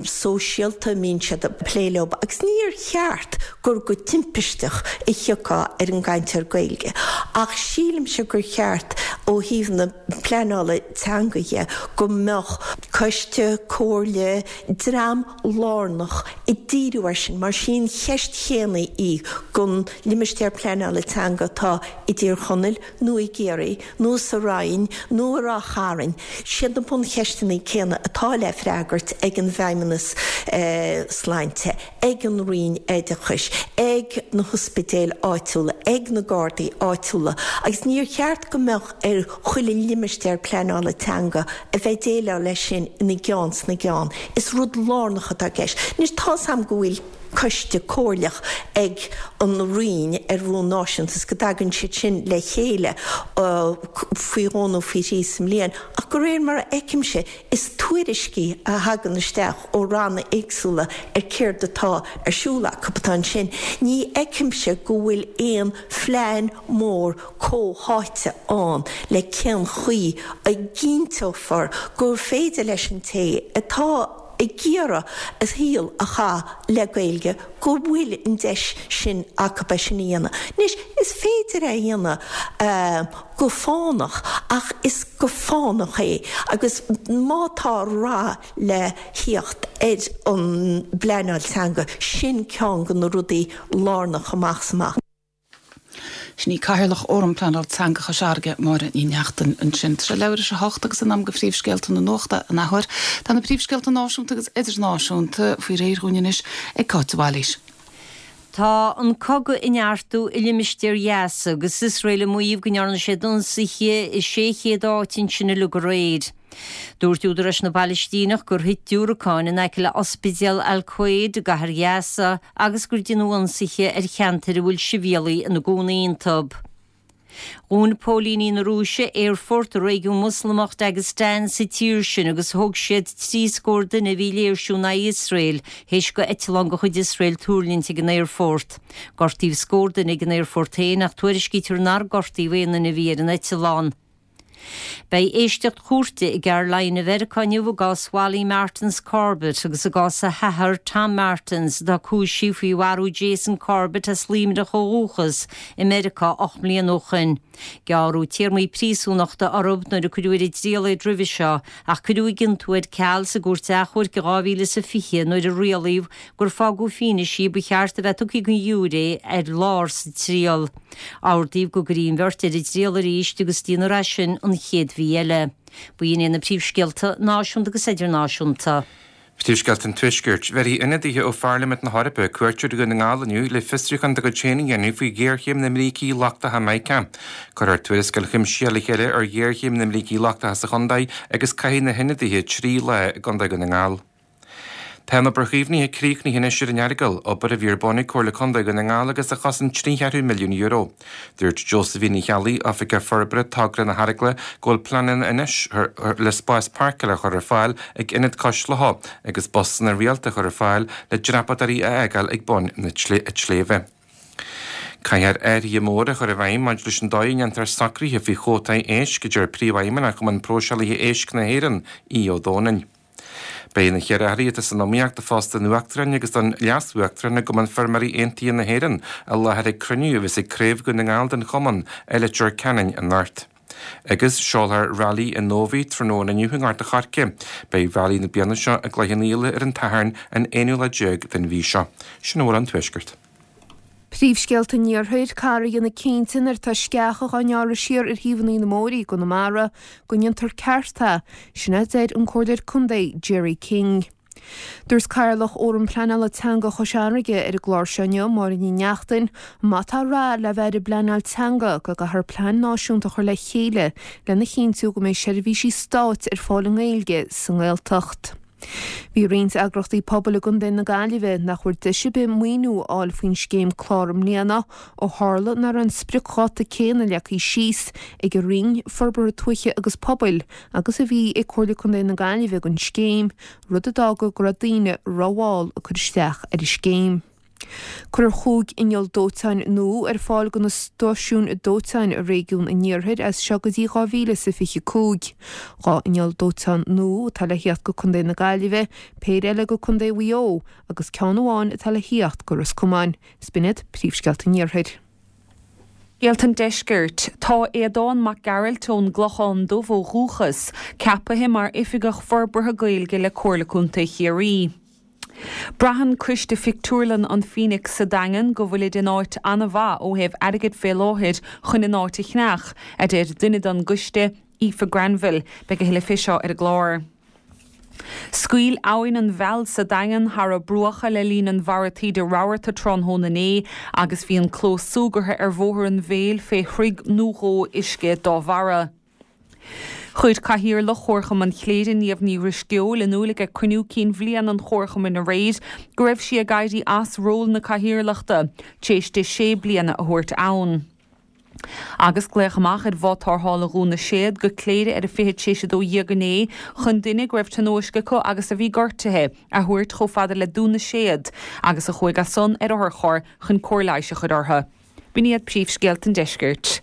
sóisialta a mbíonn siad ag plé leo agus níor cheart gur go timpisteach a thiocfá ar an gcainteoir Gaeilge ach sílimse gur cheart ó thaobh na pleanála teanga dhe go mbeadh coiste, comhairle, dream lárnach ag díriú air sin, mar sí an cheist chéanna í don limistéar pleanála teanga atá i dTír Chonaill nó i gCiarraí nó sa Rinn nó i Ráth Chairn, siad na buncheisteanna céanna atá le freagairt ag an bhFeidhmeannas Sláinte, ag an Roinn Oideachais, ag na hospidéil áitiúla, ag na Gardaí áitiúla agus níor cheart go mbeadh ar chuile limistéar pleanála teanga a bheith ag déileáil leis sin ina gceann sna gceann. Is rud lárnach atá i gceist. Anois tá's a'm go bhfuil coiste comhairleach ag an Roinn ar bhonn náisiúnta is go dtagann siad sin le chéile faoi dhó nó faoi thrí sa mbliain ach de réir mar a fheicimse is tuairiscí a thagann isteach ó ranna éagsúla ar céard atá ar siúl acu atá ansin. Ní fheicimse go bhfuil aon phlean mór comhtháite ann le cén chaoi a gcinnteofar gur féidir leis an té atá ag iarraidh a shaol a chaitheamh le Gaeilge go bhfuil an deis sin acu é sin a dhéanamh. Anois, is féidir é a dhéanamh go fánach ach is go fánach é agus má tá rath le theacht ar an bpleanáil teanga, sin ceann de na rudaí lárnach amach is amach. Sin í Cathaoirleach Fhóram Pleanála Teanga Chois Fharraige, Máire Ní Neachtain, ansin. Tá sé leathuair tar éis a hocht agus in am do phríomhscéalta na nuachta an athuair. Tá na príomhscéalta náisiúnta agus idirnáisiúnta faoi réir dhúinn anois ag Cáit de Bhailís. Tá an cogadh ag neartú i limistéar Ghaza agus Iosrael ag maíomh go ndearna siad ionsaithe i sé chéad áit ansin uilig aréir. Dúirt údaráis na bPalaistíneach gur thit diúracáin in aice le Ospidéal Al-Quds i gcathair Ghaza agus gur deineadh ionsaithe ar cheantair a bhfuil sibhialaigh ina gcónaí iontu. Dhún póilíní na Rúise aerfort i réigiún Moslamach Dagestan sa tír sin agus thóg siad trí scór duine a bhí ag léirsiú in aghaidh Iosrael théis do eitleán de chuid Iosrael tuirlingt ag an aerfort. Gortaíodh scór duine ag an aerfort féin ach tuairiscítear nár gortaíodh aon duine a bhí ar an eitleán. Beidh éisteacht chúirte i gCarolina Mheiriceá inniu i gcás Wally Martins Corbett agus i gcás a hathar Tom Martins atá cúisithe faoi mharú Jason Corbett as Luimneach ó dhúchas i Meiriceá ocht mbliana ó shin. Gearradh téarmaí príosúnachta orthu nuair a cuireadh ar a dtriail iad roimhe seo ach cuireadh a gciontú ar ceal sa gcúirt achomhairc i dhá mhíle is a fiche nuair a rialaíodh gur fágadh fianaise ba cheart a bheith tugtha don ghiúiré ar lár sa triail. Ordaíodh go gcuirfí an bheirt ar a dtriail arís agus déanfar é sin an chéad mhí eile. B'in iad na príomhscéalta náisiúnta agus idirnáisiúnta. Príomhscéalta an Tuaiscirt. Bhéarfaidh ionadaithe ó Pharlaimint na hEorpa cuairt ar Dhún na nGall inniu le fiosrúchán dá gcuid féin a dhéanamh faoi ghéarchéim na mbrící lochtacha mica. Cuirfear tuarascáil chuimsitheach le chéile ar ghéarchéim na mbrící lochtacha sa chontae agus caithfidh na hionadaithe trí lá i gContae Dhún na nGall. Tá an obair chaomhnaithe críochnaithe anois ar an Earagail, obair a bhí ar bun ag Comhairle Contae Dhún na nGall agus a chosain trí cheathrú milliún euro. Dúirt Josephine Ní Cheallaigh, Oifigeach Forbartha Togra na hEaragaile, go bhfuil pleananna anois le spás páirceála a chur ar fáil ag Ionad Cois Locha agus busanna rialta a chur ar fáil le dreapadóirí a fhágáil ag bun na sléibhe. Caithfear athruithe móra a chur i bhfeidhm maidir leis an dóigh a ndéantar socruithe faoi chuótaí éisc, a deir Príomhfheidhmeannach Chumann Próiseálaithe Éisc na hÉireann, Aodh Ó Domhnaill. Beidh na ceithre airí atá san iomaíocht do phost an Uachtaráin agus don Leas-Uachtarán i gCumann Feirmeoirí Aontaithe na hÉireann i láthair ag cruinniú a bheas ag Craobh Dhún na nGall den Chumann i Leitir Ceanainn anocht. Agus seolfar Railí an Nóibhí tráthnóna inniu i nGort a' Choirce. Beidh Railí na bliana seo i gCloich Cheann Fhaola ar an tSatharn an aonú lá déag den mhí seo. Sin a bhfuil ón Tuaisceart. Príomhscéalta an Iarthair, Caithfear a dhéanamh cinnte nuair atá sceacha dhá ngearradh siar ar thaobhanna na mbóithrí i gConamara go ndéantar ceart é, sin a deir an Comhairleoir Contae Gerry King. Dúirt Cathaoirleach Fhóram Pleanála Teanga Chois Fharraige ar an gclár seo inniu, Máire Ní Neachtain, má tá rath le bheith ar an bpleanáil teanga go gcaithfear plean náisiúnta a chur le chéile lena chinntiú go mbeidh seirbhísí stáit ar fáil i nGaeilge sa nGaeltacht. Bhí roinnt eagraíochtaí pobail i gContae na Gaillimhe nach bhfuair deis ar bith maoiniú a fháil faoin scéim clár i mbliana ó tharla nach raibh an spriocdháta céanna leagtha síos ag an Roinn Forbartha Tuaithe agus Pobail agus a bhí ag Comhairle Contae na Gaillimhe don scéim, rud a d'fhág go raibh daoine rómhall ag cur isteach ar an scéim. Cuirfear cúig inneall dóiteáin nua ar fáil do na stáisiúin dóiteáin i réigiún an Iarthair as seo go dtí dhá mhíle is a fiche cúig. Dhá inneall dóiteáin nua atá le theacht go Contae na Gaillimhe, péire eile go Contae Mhaigh Eo agus ceann amháin atá le theacht go Ros Comáin. Is b'in iad príomhscéalta an Iarthair. Scéalta an Deiscirt, Tá Aodán Mac Gearailt ón gClochán Dubh ó dhúchas, ceapaithe mar Oifigeach Forbartha Gaeilge le Comhairle Contae Chiarraí. Braitheann Coiste Phictiúrlann an Phoenix sa Daingean go bhfuilid in áit an-mhaith ó thaobh airgid fé láthair chun an áit a cheannach, a deir duine don gcoiste, Aoife Granville. Beidh a thuilleadh fé seo ar an gclár. Scaoil Abhainn an Mheall sa Daingean thar a bruacha le linn an bharra taoide rabharta tráthnóna inné agus bhí an clós súgartha ar Bhóthar an Mhéil fé throigh nó dhó uisce dá bharra. Chuir Cathaoirleach Chomharchumann Chléire Niamh Ní Dhrisceoil in iúl ag cruinniú cinn bhliana an Chomharchumainn aréir go raibh sí ag éirí as ról na cathaoirleachta tar éis di sé bliana a thabhairt ann. Agus glaodh amach ar bhád tarrthála Dhún na Séad go Cléire ar a fiche tar éis a dó dhéag inné chun duine go raibh tionóisc acu agus a bhí gortaithe a thabhairt chomh fada le Dún na Séad agus a chuaigh as san ar otharcharr chun cóir leighis a chur orthu. B'in iad príomhscéalta an deiscirt.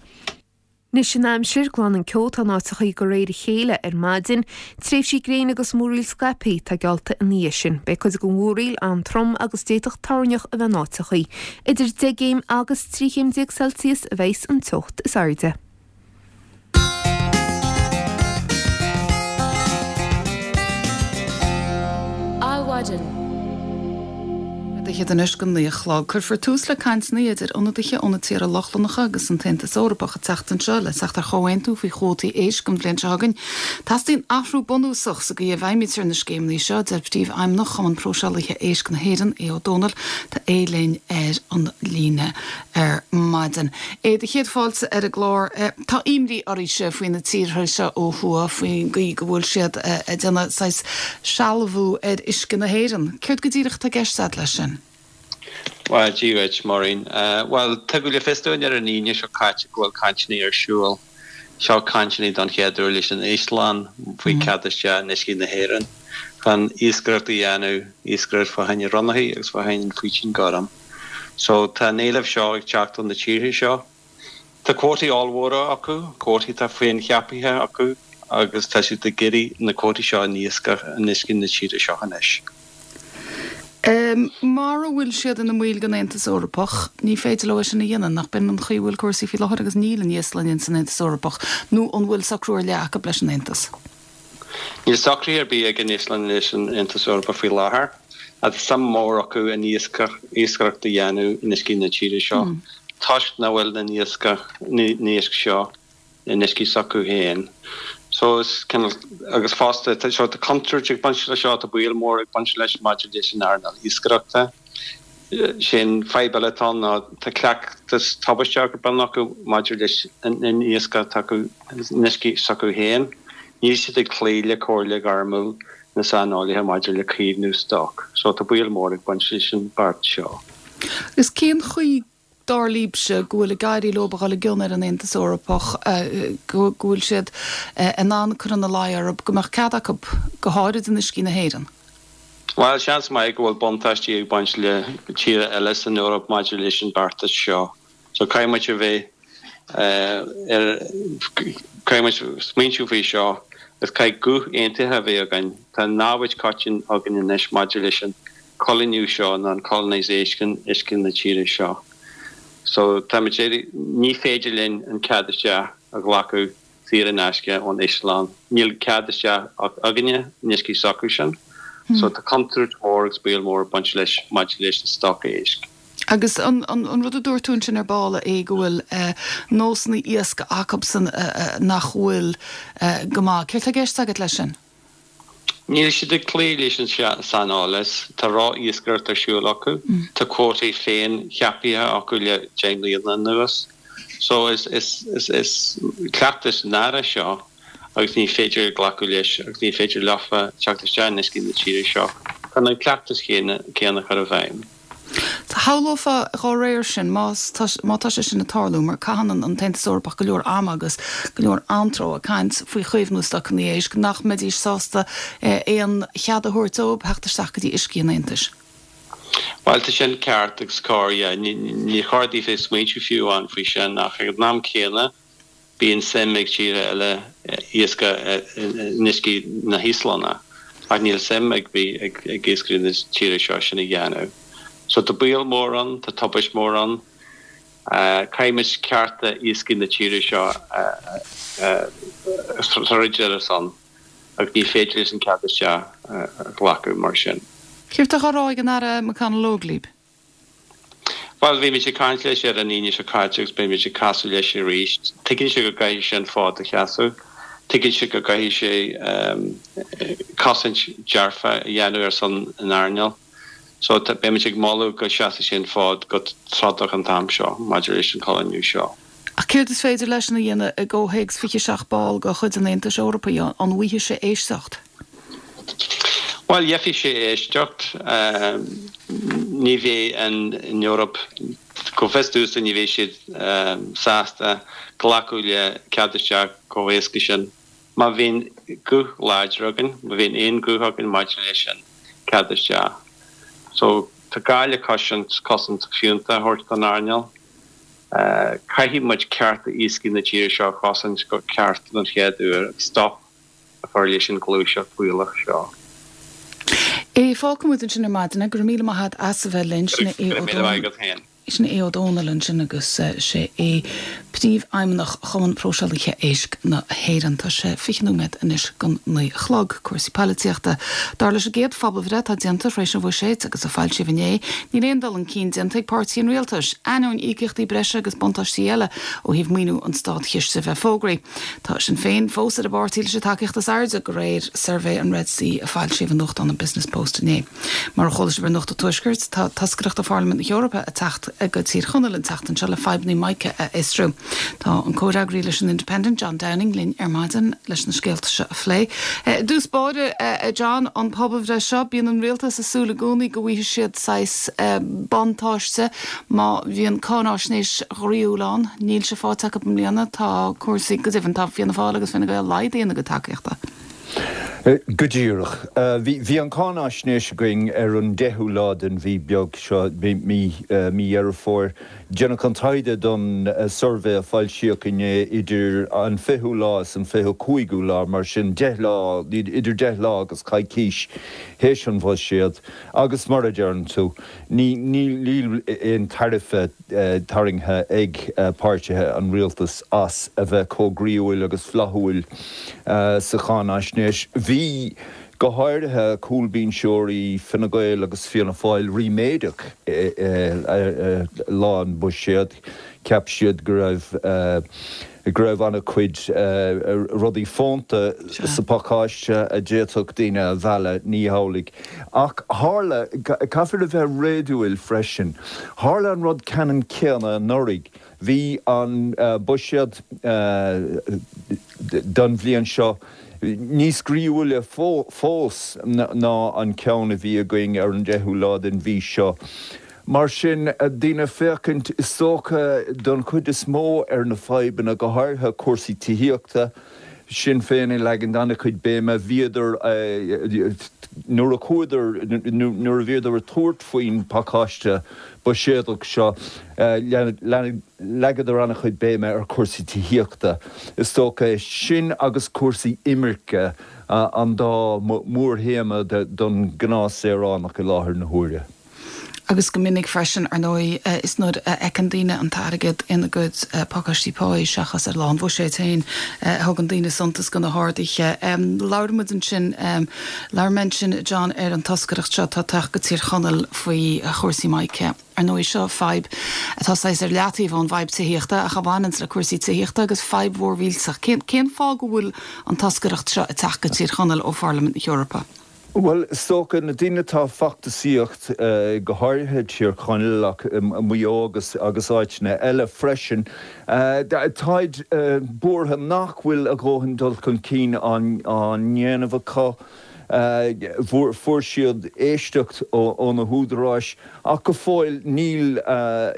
Anois an aimsir, glanann ceo atá in áiteachaí de réir a chéile ar maidin. Tréimhsí gréine agus múraíl scaipthe atá geallta ina dhiaidh sin. Beidh cuid den mhúraíl an-trom agus d'fhéadfadh toirneach a bheith in áiteachaí. Idir deich gcéim agus trí chéim déag Celsius a bheas an teocht is airde. Adhmhaidin. Fiche anois go naoi a chlog. Cuirfear tús le cainteanna idir ionadaithe ó na tíortha Lochlannacha agus an tAontas Eorpach an tseachtain seo le teacht ar chomhaontú faoi chuótaí éisc an bhliain seo chugainn. Teastaíonn athrú bunúsach sa gcaoi a bhfeidhmítear na scéimeanna seo, deir Príomhfheidhmeannach Chumann Próiseálaithe Éisc na hÉireann, Aodh Ó Dónaill. Tá Aodh linn ar an líne ar maidin. Aodh, do chéad fáilte ar an gclár. Tá imní oraibhse faoi na tíortha seo ó thuaidh, faoin gcaoi go bhfuil siad ag déanamh saghas sealbhú ar uisce na hÉireann. Céard go díreach atá i gceist agat leis sin? Bhuel, Dia dhuit, Maureen. Bhuel, tugadh le fios dúinn ar an Aoine seo caite go bhfuil cainteanna ar siúl. Seo cainteanna don chéad uair leis an Íoslainn faoi cead isteach in uiscí na hÉireann chun iascaireacht a dhéanamh, iascaireacht fá choinne ronnachaí agus fá choinne an faoitín gorm. So tá an éileamh seo ag teacht ó na tíortha seo. Tá cuótaí ollmhóra acu, cuótaí atá féincheaptha acu agus tá siad ag iarraidh na cuótaí seo in iascach in uiscí na tíre seo anois. Mara bhfuil siad ina mbaill den Aontas Eorpach, ní féidir leo é sin a dhéanamh, nach b'in an chaoi a bhfuil cúrsaí faoi láthair agus níl an Íoslainn ins an Aontas Eorpach, nó an bhfuil socrú ar leith acu leis an Aontas? Níl socruithe ar bith ag an Íoslainn leis an Aontas Eorpach faoi láthair, ach tá suim mhór acu in iascaireacht a dhéanamh in uiscí na tíre seo toisc nach bhfuil na n-iasc seo in uiscí s'acu féin. So is cineál, agus fosta, tá so tá contúirt ag baint leis seo, tá baol mór ag baint leis maidir leis an earnáil iascaireachta. Sé an fadhb eile atá ann ná tá cleachtas tubaisteach ar bun acu maidir leis an iasc atá acu in uiscí s'acu féin. Níl siad ag cloí le comhairle ghairmiúil na saineolaithe maidir le caomhnú stoc. So tá baol mór ag baint leis an beart seo. Agus cén chaoi dar libhse, go bhfuil ag éirí leo a dhul i gcion ar an Aontas Eorpach, go bhfuil siad in ann cur ina luí orthu go mbeadh cead acu, go háirid in uiscí na hÉireann? Bhuel, seans maith go bhfuil buntáistí ag baint le tíortha eile san Eoraip maidir leis an beartas seo. So caithfidh muid a bheith ar, caithfidh muid smaointiú faoi seo agus caithfidh guth aontaithe a bheith againn. Tá namhaid coiteann againn anois maidir leis an coilíniú seo nó an colonisation uisce na tíre seo. So táimid ag iarraidh, ní féidir linn an cead isteach a ghlacadh saor in aisce ón Íoslainn. Níl cead isteach againne in uiscí s'acu sin. So tá contúirt mhór agus baol mór ag baint leis maidir leis an stoc éisc. Agus an rud a dúirt tú ansin ar ball é go bhfuil nósanna iascaigh acubsan nach bhfuil go maith. Céard tá i gceist agat leis sin? Níl siad ag cloí leis an saineolas, tá ró-iascaireacht ar siúl acu, tá cuótaí féin-cheaptha acu le deich mbliana anuas. So is is cleachtas náireach seo agus ní féidir glacadh leis agus ní féidir leofa teacht isteach in uiscí na tíre seo chun an cleachtas céanna a chur i bhfeidhm. Shamhlófá dhá réir sin, más má tá sé sin ag tarlú, mar caitheann an tAontas Eorpach go leor ama agus go leor antró ag caint faoi chaomhnú stocanna éisc, nach mbeidís sásta aon chead a thabhairt dóibh theacht isteach go dtí uiscí an Aontais. Bhuel, tá sin ceart agus cóir, yeah. Ní chóir daofa smaointiú fiú amháin faoi sin, ach ag an am céanna, Bíonn suim ag tíortha eile iascach in uiscí na hÍoslainne, ach níl suim ag ag iascairí na tíre seo sin a dhéanamh. So tá baol mór ann, tá tubaist mór ann. Caithfidh muid cearta iascaigh na tíre seo a throid ar a son agus ní féidir leis an cead isteach a ghlacadh mar sin. Céard atá á rá ag an Aire McConalogue libh? Bhuel, bhí muid ag caint leis ar an Aoine seo caite agus beidh muid ag casadh leis arís. Tuigeann sé go gcaithfidh sé an fód a sheasamh. Tuigeann sé go gcaithfidh sé cosaint dearfa a dhéanamh ar son an earnáil. So beidh muid ag moladh go seasfaidh sé an fód go trodach an t-am seo maidir leis an coilíniú seo. Ach céard is féidir leisean a dhéanamh i gcomhthéacs fiche seacht ball de chuid an Aontais Eorpaigh? An bhfaighidh sé éisteacht? Bhuel, gheobhaidh sé éisteacht. Ní bheidh an Eoraip, go bhfios domhsa, ní bheidh siad sásta glacadh le cead isteach chomh héasca sin. Má bhíonn guth láidir againn, má bhíonn aon ghuth againn maidir leis an cead isteach. So, tá gá le cosaint, cosaint fiúntach a thabhairt don earnáil. Caithfidh muid cearta iascaigh na tíre seo a chosaint go ceart don chéad uair agus stop a chur leis an ghluaiseacht bhaolach seo. Aodh, fágfaidh muid ansin ar maidin é. Go raibh míle maith agat as a bheith linn. Sin é Go raibh míle maith agat féin. Sin Aodh Ó Dónaill ansin agus sé é Príomhfheidhmeannach Chumann Próiseálaithe Éisc na hÉireann. Tá sé fiche nóiméad anois don naoi a chlog. Cúrsaí poilitíochta. Dar leis an gcéad phobalbhreith atá déanta tar éis an bhuiséid agus a foilsíodh inné, níl aon dul chun cinn déanta ag páirtí an rialtais, ainneoin íocaíochtaí breise agus buntáistí eile ó thaobh maoiniú an státchiste a bheith fógraithe. Tá Sinn Féin fós ar an bpáirtí leis an tacaíocht is airde, de réir suirbhé an Red C a foilsíodh i nuachtán an Business Post inné. Mar a chuala sibh ar Nuacht an Tuaiscirt, tá toscaireacht ó Pharlaimint na hEorpa ag teacht go Tír Chonaill an tseachtain seo le fadhbanna mica a fhiosrú. Tá an comhfhreagraí leis an Independent, John Downing, linn ar maidin leis na scéalta seo a phlé. I dtús báire, a John, an pobalbhreith seo, bíonn an rialtas ag súil i gcónaí go bhfaighidh siad saghas buntáiste má bhíonn cáinaisnéis ghroíúil ann. Níl sé faighte acu i mbliana. Tá cúrsaí, go deimhin, tá Fianna Fáil agus Fine Gael laghdaithe ina gcuid tacaíochta. Go díreach. Bhí an cáinaisnéis againn ar an deichiú lá den mhí beag seo, mí Dheireadh Fómhair. Déanadh an taighde don suirbhé a foilsíodh inné idir an fichiú lá is an fiche cúigiú lá, mar sin deich lá, idir deich lá agus coicís théis an bhuiséad. Agus mar a deireann tú, níl aon tairbhe tarraingthe ag páirtithe an rialtais as a bheith chomh groíúil agus flaithiúil sa cháinaisnéis. Bhí, go háirithe, cúlbhinseoirí Fine Gael agus Fianna Fáil ríméadach lá an bhuiséid. Cheap siad go raibh go raibh an-chuid rudaí fónta sa phacáiste a d'fhéadfadh daoine a mhealladh, ní hamhlaidh. Ach tharla, caithfear a bheith réadúil freisin, tharla an rud ceannann céanna anuraidh. Bhí an buiséad don bhliain seo níos groíúla fós ná an ceann a bhí againn ar an deichiú lá den mhí seo. Mar sin, daoine ag féachaint, is dócha, don chuid is mó ar na fadhbanna, go háirithe cúrsaí tithíochta, Sinn Féin ag leagan an-chuid béime, bhíodar, nuair a chuadar, nuair a bhíodar ag tabhairt faoin bpacáiste buiséadach seo, leagadar an-chuid béime ar chúrsaí tithíochta. Is dócha, sin agus cúrsaí imirce an dá mhórthéama don ghnáthshaoránach i láthair na huaire. Agus go minic freisin, ar ndóigh, is nuair a fheiceann daoine an t-airgead ina gcuid pacáistí páí seachas ar lá an bhuiséid féin a thugann daoine suntas do na harduithe. Labhair muid ansin, labhair mé ansin, John, ar an toscaireacht seo atá ag teacht go Tír Chonaill faoi chúrsaí mica. Ar ndóigh, seo fadhb atá saghas ar leataobh ón bhfadhb tithíochta ach a bhaineanns le cúrsaí tithíochta agus fadhb mhór mhillteach. Cén fáth go bhfuil an toscaireacht seo ag teacht go Tír Chonaill ó Pharlaimint na hEorpa? Bhuel, is dócha, na daoine atá ag feachtasaíocht, go háirithe Tír Chonaill ach Maigh Eo agus agus áiteanna eile freisin, táid buartha nach bhfuil a dhóthain dul chun cinn á ndéanamh acu. Fuair siad éisteacht ó na húdaráis ach go fóill níl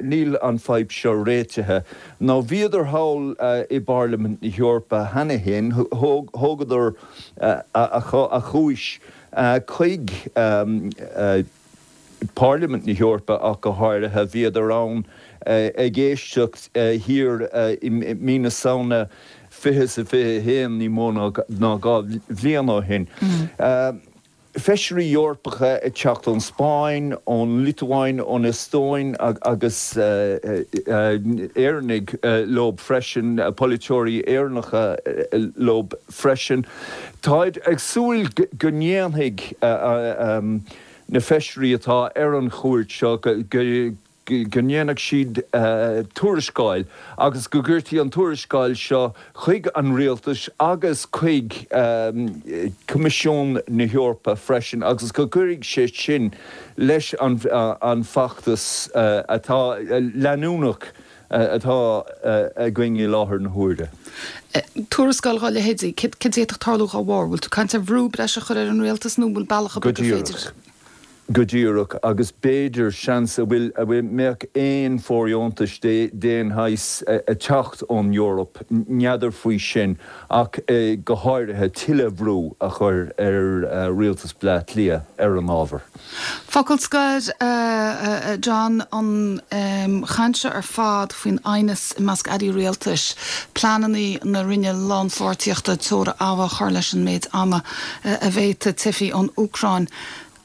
níl an fadhb seo réitithe. Now bhíodar thall i bParlaimint na hEorpa cheana féin, thógadar a chúis chuig Pairlimint na hEorpa ach go háirithe. Bhíodar ann ag éisteacht thiar i mí na Samhna fiche is a fiche a haon, ní mó ná dhá bhliain ó shin. Feisirí Eorpacha ag teacht ón Spáinn, ón Liotuáin, ón Eastóin agus Éireannaigh leo freisin, polaiteoirí Éireannacha leo freisin. Táid ag súil go ndéanfaidh na feisirí atá ar an chuairt seo go go ndéanfaidh siad tuarascáil agus go gcuirfí an tuarascáil seo chuig an rialtas agus chuig Coimisiún na hEorpa freisin agus go gcuirfidh sé sin leis an bhfeachtas atá leanúnach atá againn i láthair na huaire. Tuarascáil dá leithéidí, cad a d'fhéadfadh tarlú dá bharr? Bhfuil tú ag caint ar bhrú breise a chur ar an rialtas nó an bhfuil bealach ar bith gur féidir? Go díreach, agus b'fhéidir, seans, a bhfuil, a bhfuil, mbeadh aon fóirdheontais d'aon shaghas ag teacht ón Eoraip, n'fheadar faoi sin, ach go háirithe tuilleadh brú a chur ar Rialtas Bhaile Átha Cliath ar an ábhar. Focal scoir, a John, an chaint seo ar fad faoin aighneas i measc airí rialtais, pleananna na Roinne Lánpháirtíochta teora ama a chur leis an méid ama a bhféadfadh teifigh ón Úcráin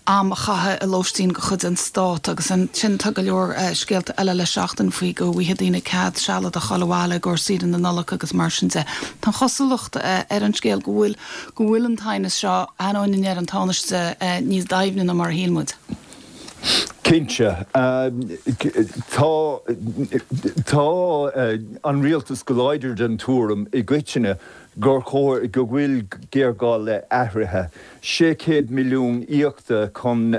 am a chaitheamh i lóistín de chuid an Stát agus ansin tá go leor scéalta eile le seachtain faoi go bhfaighidh daoine cead sealadach a dhul abhaile i gcomhair saoire na Nollag agus mar sin de. Tá an chosúlacht ar an scéal go bhfuil go bhfuil an t-aighneas seo, ainneoin a ndeir an Tánaiste, níos doimhne ná mar a shíl muid. Cinnte. Tá tá an rialtas go láidir den tuairim i gcoitinne gur chóir, go bhfuil géarghá le athruithe. sé chéad milliún íoctha chun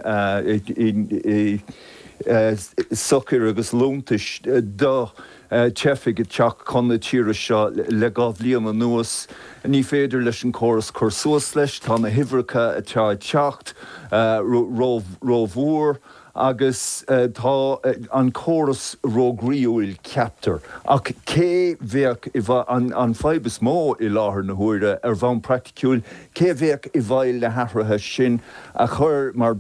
sochair agus liúntais do theifigh ag teacht chun na tíre seo le dhá bhliain anuas. Ní féidir leis an córas cur suas leis, tá na huimhreacha atá ag teacht rómhór. Agus tá an córas róghroíúil, ceaptar. Ach cé bheadh i bhfeighil, an fadhb is mó i láthair na huaire, ar bhonn praiticiúil, cé bheadh i bhfeighil na hathruithe sin a chur, mar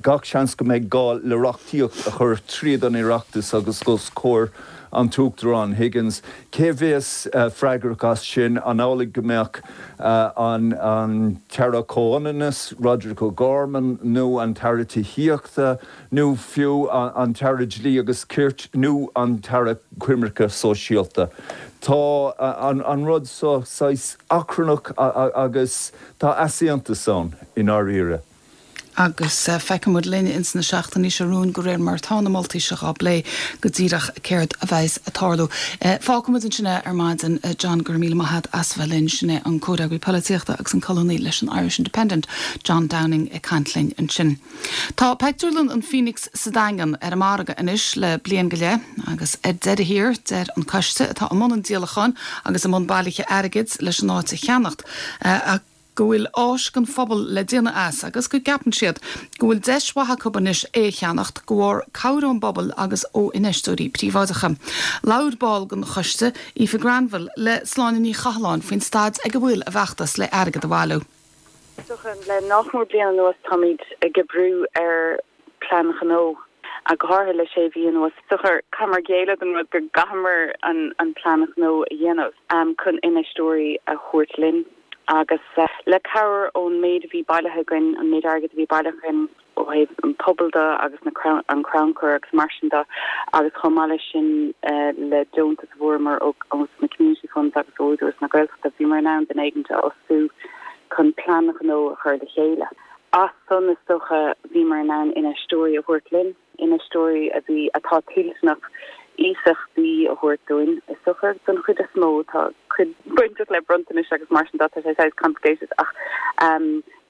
gach seans go mbeidh gá le reachtaíocht a chur tríd an Oireachtas agus os comhair an tUachtarán Higgins, cé bheas freagrach as sin? An amhlaidh go mbeadh an tAire Comhionannais, Roderic O'Gorman, nó an tAire Tithíochta, nó fiú an tAire Dlí agus Cirt nó an tAire Coimirce Sóisialta? Tá an rud seo saghas achrannach agus tá easaontas ann i ndáiríre. Agus feicfidh muid linn ins na seachtainí seo romhainn de réir mar atá na moltaí seo á bplé go díreach céard a bheas ag tarlú. Fágfaidh muid ansin é ar maidin. John, go raibh míle maith agat as bheith linn. Sin é an comhfhreagraí polaitíochta agus an colúnaí leis an Irish Independent, John Downing ag caint linn ansin. Tá pictiúrlann an Phoenix sa Daingean ar an margadh anois le bliain go leith agus ar deireadh thiar deir an coiste atá i mbun an díolacháin agus i mbun bailithe airgid leis an áit a cheannacht go bhfuil áis don phobal le déanamh as agus go gceapann siad go bhfuil deis mhaith acu anois é a cheannacht de bharr cabhair ón bpobal agus ó infheisteoirí príobháideacha. Labhair ball den choiste, Aoife Granville, le Sláine Ní Chathalláin faoin staid ag a bhfuil a bhfeachtas le airgead a bhailiú. Is dócha, le nach mór bliain anuas táimid ag oibriú ar plean gnó, ach go háirithe le sé mhí anuas. Is dócha, chaitheamar géilleadh don rud go gcaitheamar an plean gnó a dhéanamh chun infheisteoirí a thabhairt linn agus le cabhair ón méid a bhí bailithe againn, an méid airgid a bhí bailithe againn ó thaobh an pobal de agus na an crannchur agus mar sin de agus chomh maith leis sin le deontas a fuaireamar ó na Community Funds agus ó Údarás na Gaeltachta, bhíomar in ann duine éigin a fhostú chun plean gnó a chur le chéile. As san, is dócha, bhíomar in ann infheisteoirí a thabhairt linn, infheisteoirí a bhí, atá toilteanach iasachtaí a thabhairt dúinn, is dócha, don chuid is mó. Tá cuid bainteach le bronntanais agus mar sin de, tá sé saghas complicated ach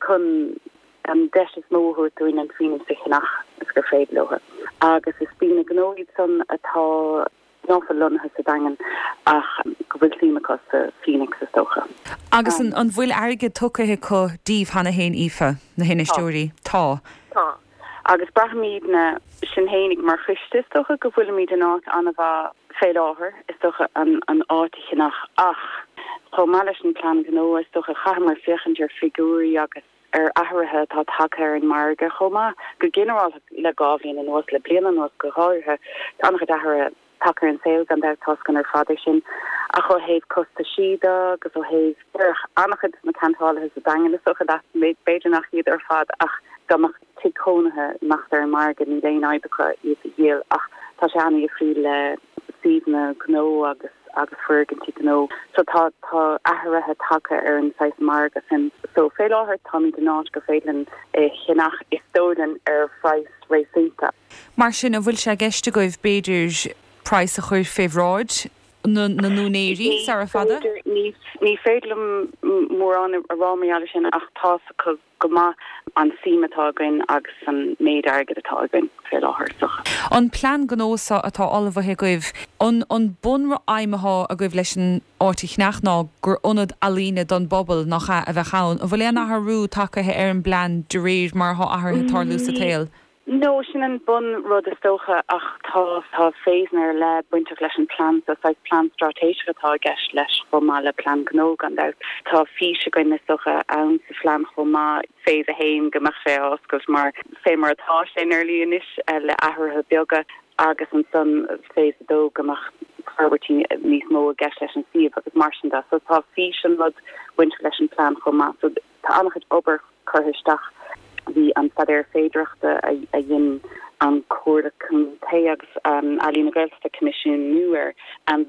chun an deis is mó a thabhairt dúinn an Phoenix a cheannach is gur féidir leo. Agus is daoine gnó iad san atá ná fuil lonnaithe sa Daingean ach go bhfuil suim acu sa Phoenix is dócha. Agus an bhfuil airgead tugtha acu daoibh cheana féin, Aoife, na hinfheisteoirí? Tá. Tá. Agus braithimidne, sinn fhéinig mar choiste is dócha go bhfuilimid in áit an-mhaith fé láthair, is dócha, an an áit a cheannach ach chomh maith leis an plean gnó is dócha chaitheamar féachaint ar figiúirí agus ar athruithe atá tagtha ar an margadh chomh maith, go ginearálta le dhá bhliain anuas, le bliain anuas go háirithe, tá an-chuid athruithe tagtha ar an saol gan dabht tá a fhios againn ar fad é sin. Ach ó thaobh costaisí de agus ó thaobh déarfadh an-chuid de na ceantálaithe sa Daingean is dócha leat, b'fhéidir nach iad ar fad ach dá mbeadh tigh cónaithe ag imeacht ar an margadh níl aon fhadhb acu iad a dhíol ach tá sé an-difriúil le suíomhanna gnó agus agus foirgintí gnó. So tá tá athruithe tagtha ar an saghas margadh sin. So fé láthair táimid in áit gur féidir linn é a cheannach is dóigh linn ar phraghas réasúnta. Mar sin an bhfuil sé i gceist agaibh b'fhéidir praghas a chur fé bhráid na n-úinéirí sara fada? Ní féidir liom mórán a rá mar gheall air sin ach tá a fhios acu go maith an suim atá againn agus an méid airgid atá againn fé láthair is dócha. An plean gnó seo atá ullmhaithe agaibh, an an bunfheidhm atá agaibh leis an áit a cheannach ná gur ionad ealaíne don bpobal nach ea a bheadh ann. An bhfuil aon athrú tagtha ar an bplean de réir mar atá athruithe ag tarlú sa tsaol? No, sin an bun rud is dócha ach tá tá phasanna ar leith bainteach leis an plean so saghas plean straitéiseach atá i gceist leis chomh maith le plean gnó gan dabht. Tá fís againn is dócha ann sa phlean chomh maith phase a haon go mbeadh sé á oscailt mar fé mar atá sé nearly anois le athruithe beaga agus ansan phase a dó go mbeadh forbairtí níos mó i gceist leis an suíomh agus mar sin de. So tá fís an rud bainteach leis an plean chomh maith. So tá an-chuid obair curtha isteach. Bhí an staidéar féidearthachta a dhein an Comhairle Contae agus Ealaín na Gaeltachta coimisiúnú air,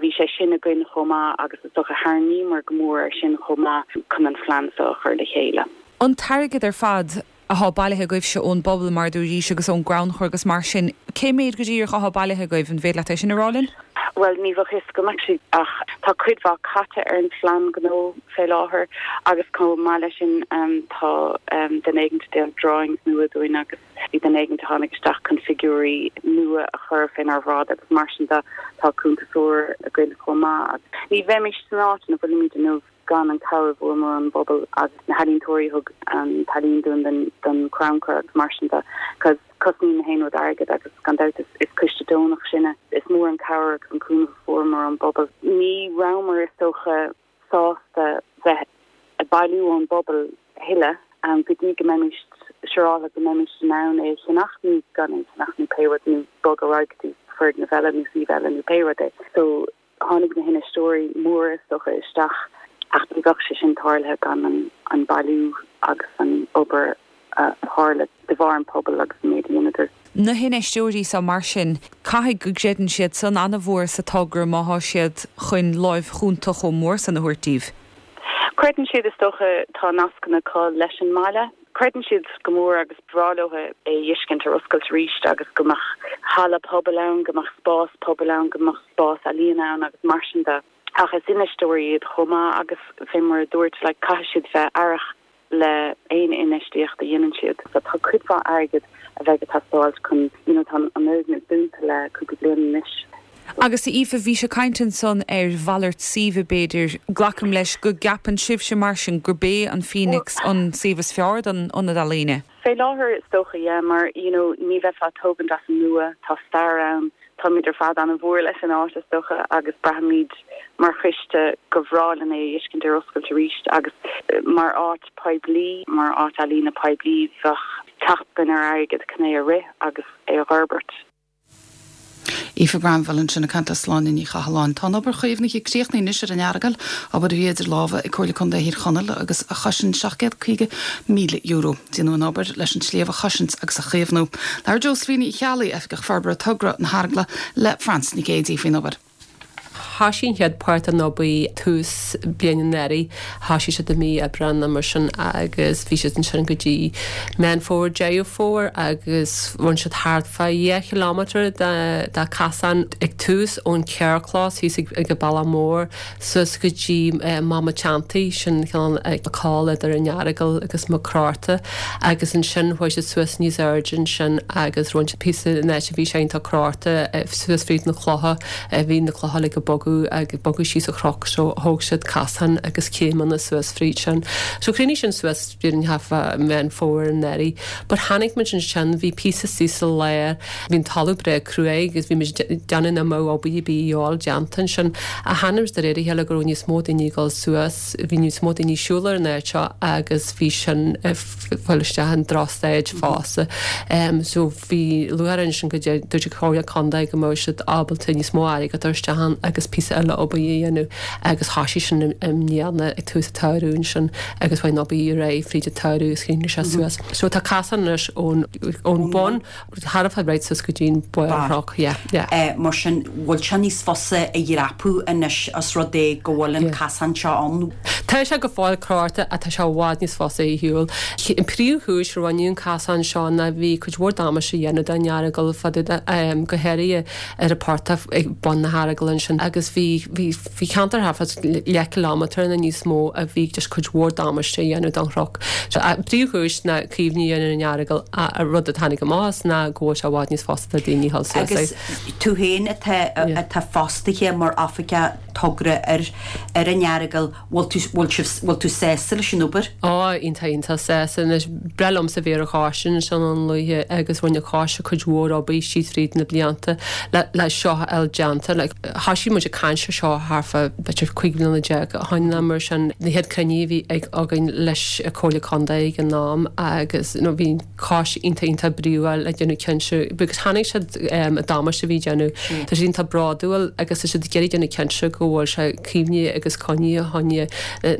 bhí sé sin againn chomh maith agus is dócha tharraingíomar go mór air sin chomh maith chun an phlean seo a chur le chéile. An t-airgead ar fad athá bailithe agaibhse ón bpobal mar a dúraís agus ón gcrannchur agus mar sin, cé méid go díreach athá bailithe agaibh, an féidir leat é sin a rá linn? Bhuel, ní bheadh a fhios agam actually ach tá cuid mhaith caite ar an phlean gnó fé láthair agus chomh maith leis sin tá duine éigin ag déanamh drawings nua dúinn agus bhí duine éigin a tháinig isteach chun figiúirí nua a chur fénár bhráid agus mar sin de tá cuntasóir againn chomh maith agus ní bheimis san áit ina bhfuilimid inniu gan an cabhair a fuaireamar ón bpobal agus na healaíontóirí a thug an t-ealaín dúinn don don crannchur agus mar sin de cos cosnaíonn na haon rud airgead agus gan dabht is is coiste deonach sinne. Is mór an cabhair agus an cúnamh a fuaireamar ón bpobal. Ní rabhamar is dócha sásta bheith ag bailiú ón bpobal a thuilleadh go dtí go mbeimis siúráilte go mbeimis in ann é a cheannach nó gan é a cheannach nó pé rud nó bogadh ar aghaidh go dtí foirgneamh eile nó suíomh eile nó pé rud é. So tháinig na hinfheisteoirí móra is dócha isteach ach ní bheadh sé sin tarlaithe gan an an bailiú agus an obair a tharla de bharr an pobal agus an méid a dheineadar. Na hinfheisteoirí seo mar sin, caithfidh go gcreideann siad san an-mhór sa togra má thá siad chun láimh chúnta chomh mór san a thabhairt daoibh. Creideann siad is dócha, tá nascanna acu leis an mbaile. Creideann siad go mór agus ba bhreá leo é a fheiscint ar oscailt arís agus go mbeadh halla pobail ann, go mbeadh spás pobail ann, go mbeadh spás ealaíon ann agus mar sin de. Ach is infheisteoirí iad chomh maith agus fé mar a dúirt, like, caithfidh siad bheith aireach le aon infheistíocht a dhéanann siad. So tá cuid mhaith airgid a bheidh ag teastáilt chun, you know, tá an fhoirgneamh dúnta le cúpla bliain anois. Agus a Aoife, bhís ag caint ansan ar mhalairt suímhe b'fhéidir. Glacaim leis go gceapann sibhse mar sin gurb é an Phoenix an suíomh is fearr don ionad ealaíne? Fé láthair is dócha, yeah, mar you know ní bheifeá ag tógaint as an nua, tá stair ann, táimid ar fad an-mhór leis an áit is dócha agus braithimid mar choiste gur bhreá linn é a fheiscint ar oscailt arís agus mar áit poiblí, mar áit ealaíne poiblí bheadh teacht againn ar airgead chun é a rith agus é a fhorbairt. Aoife Granville ansin ag caint le Sláine Ní Chathalláin. Tá an obair chaomhnaithe críochnaithe anois ar an Earagail, obair a bhí idir lámha ag Comhairle Contae Thír Chonaill agus a chosain seacht gcéad caoga míle euro. Déanadh an obair leis an sliabh a chosaint agus a chaomhnú. Labhair Josephine Uí Cheallaigh, Oifigeach Forbartha Togra na hEaragla, le Frances Nic Géadaigh faoin obair. Thoisigh an chéad páirt den obair tús bliain anuraidh, thoisigh siad i mí Aibreán nó mar sin agus bhí siad ansin go dtí Meán Fómhair, Deireadh Fómhair agus rinne siad thart fá dhá chileámeter de de casán ag tús ón carrchlós thíos ag ag an bealach mór suas go dtí Mám an tSeantigh, sin cineál col idir an Earagail agus Maigh Chromtha agus ansin chuaigh siad suas níos airde ansin agus rinne siad píosa in áit a bhí sé iontach crochta suas fríd na clocha, bhí na clocha uilig ag bogadh. bogadh agus bogadh síos an chnoc so thóg siad casán agus céimeanna suas fríd sin. So chríochnaigh sin suas b'fhéidir thart fá Meán Fómhair anuraidh. But tháinig muid ansin, bhí píosa síos sa lár, bhí an talamh breá cruaidh agus bhí muid ag déanamh nach mbeadh obair ar bith a dhíobháil déanta ansin. Ach tháinig muid de réir a chéile go raibh níos mó daoine ag dul suas, bhí níos mó daoine ag siúl ar an áit seo agus bhí sin ag fáil isteach in drochstaid fosta. So bhí lúcháir orainn ansin go dúirt an Chomhairle Contae go mbeadh siad ábalta níos mó airgead a chur isteach ann agus píosa eile obair a dhéanamh agus thoisigh sin i mbliana ag tús an tsamhraidh ansin agus chuaigh an obair ar aghaidh fríd an tsamhradh agus chríochnaigh sé suas. So tá casán anois ón ón bun thart fá right suas go dtí an barr an chnoc. Yeah, yeah. Mar sin bhfuil sé níos fusa a dhreapadh anois os rud é go bhfuil an casán seo ann? Tá sé go fóill crochta ach tá sé i bhfad níos fusa a shiúl. An príomhchúis a rinneadh an casán seo ná bhí cuid mhór damáiste á dhéanamh don Earagail fad go háirithe ar an portach ag bun na hEaragala ansin agus bhí bhí bhí ceantar thart fá leathchileámeter nó níos mó a bhí just cuid mhór damáiste á dhéanamh don chnoc. So an príomhchúis ná caomhnú a dhéanamh ar an Earagail ach rud a tháinig amach as ná go bhfuil sé i bhfad níos fusa do daoine dhul suas Agus tú féin atá atá fostaithe mar oifigeach togra ar ar an Earagail, bhfuil tú bhfuil sibh bhfuil tú sásta leis an obair? Á, iontach iontach sásta. Anois, breá liomsa bheith ar an choiste ansin Dún Lúiche agus rinne an coiste cuid mhór obair síos fríd na blianta le le seo a fháil déanta. Like, thoisigh muid ag caint ar seo thart fá b'fhéidir cúig bliana déag ó shin nó mar sin. Na chéad cruinnithe a bhí ag againn leis an Comhairle Contae ag an am agus you know, bhí an coiste iontach iontach bríomhar le déanamh cinnte because chonaic siad an damáiste a bhí á dhéanamh. Tá siad iontach bródúil agus tá siad ag iarraidh déanamh cinnte go bhfuil sé caomhnaithe agus coinnithe fá choinne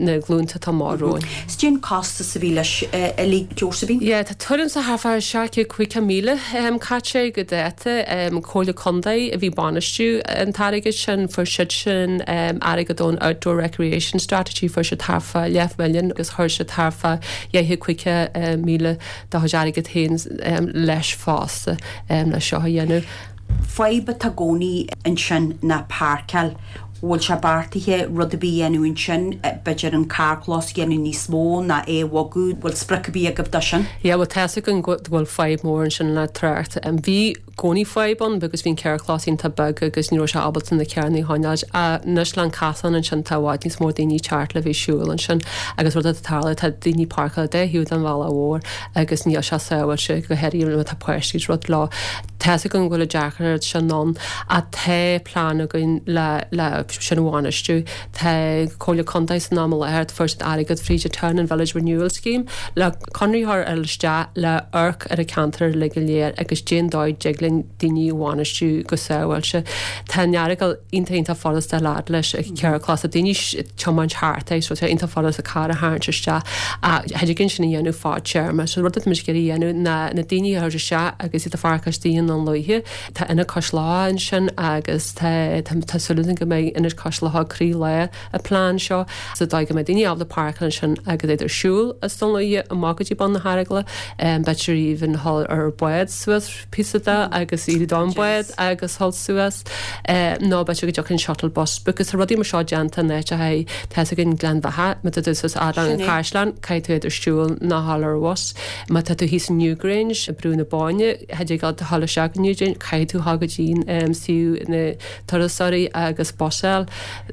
na glúnta atá amach romhainn. Is cén costas a bhí leis uilig, Josephine? Yeah, tá tuairim is thart fá seacht gcéad caoga míle caite go dáta. Comhairle Contae a bhí ag bainistiú an t-airgead sin, fuair siad sin airgead ón Outdoor Recreation Strategy, fuair siad thart fá leathmhilliún agus chuir siad thart fá dhá chéad caoga míle dá chuid airgead féin leis fosta le seo a dhéanamh. Fadhb atá i gcónaí ansin ná páirceáil. Bhfuil sé beartaithe rud ar bith a dhéanamh ansin, b'fhéidir an carrchlós a dhéanamh níos mó ná é a bhogadh, bhfuil sprioc ar bith agaibh dó sin? Yeah, bhuel tá's againn go bhfuil fadhb mór ansin le trácht. Bhí i gcónaí fadhb ann because bhí an carrchlós iontach beag agus ní raibh sé ábalta na carranna a choinneáil. Anois le an casán ansin tá i bhfad níos mó daoine ag teacht le bheith ag siúl ansin agus rud atá ag tarlú tá daoine ag páirceáil dá thaobh den bhealach mhór agus níl sé sábháilte go háirithe má tá páistí is rud leo. Tá's againn go bhfuil an deacracht sin ann ach tá plean againn le le sin a bhainistiú. Tá Comhairle Contae san am i láthair fuair siad airgead fríd an Town and Village Renewal Scheme le conraitheoir a fháil isteach le amharc ar an ceantar uilig go léir agus cén dóigh a dtig linn daoine a bhainistiú go sábháilte. Tá an Earagail iontach iontach furasta a fhad leis an carrchlós. Tá daoine ag tiomáint thart é so tá sé iontach furasta carr a tharraingt isteach ach thig linn sin a dhéanamh fadtéarma. So rud atá muid ag iarraidh a dhéanamh ná na daoine a thabhairt isteach agus iad a pháirceáil istigh i nDún Lúiche. Tá Ionad Cois Locha ansin agus tá tá súil againn go mbeidh Ionad Cois Locha ag croílár an plean seo sa dóigh go mbeidh daoine ábalta páirceáil ansin agus iad ar siúl as Dún Lúiche amach go dtí bun na hEaragaile, b'fhéidir even dhul ar bád suas píosa de agus éirí don bád agus dhul suas nó b'fhéidir go dtiocfaidh an shuttle bus because tá rudaí mar seo déanta in áiteacha tá's againn Gleann Bheatha má tá tú suas fhad le an caisleán caithfidh tú idir siúl nó dhul ar bhus má tá tú thíos in Newgrange i Brú na Bóinne thig leat dhul isteach go Newgrange caithfidh tú dhul go dtí suíomh na turasóirí agus bus a fháil.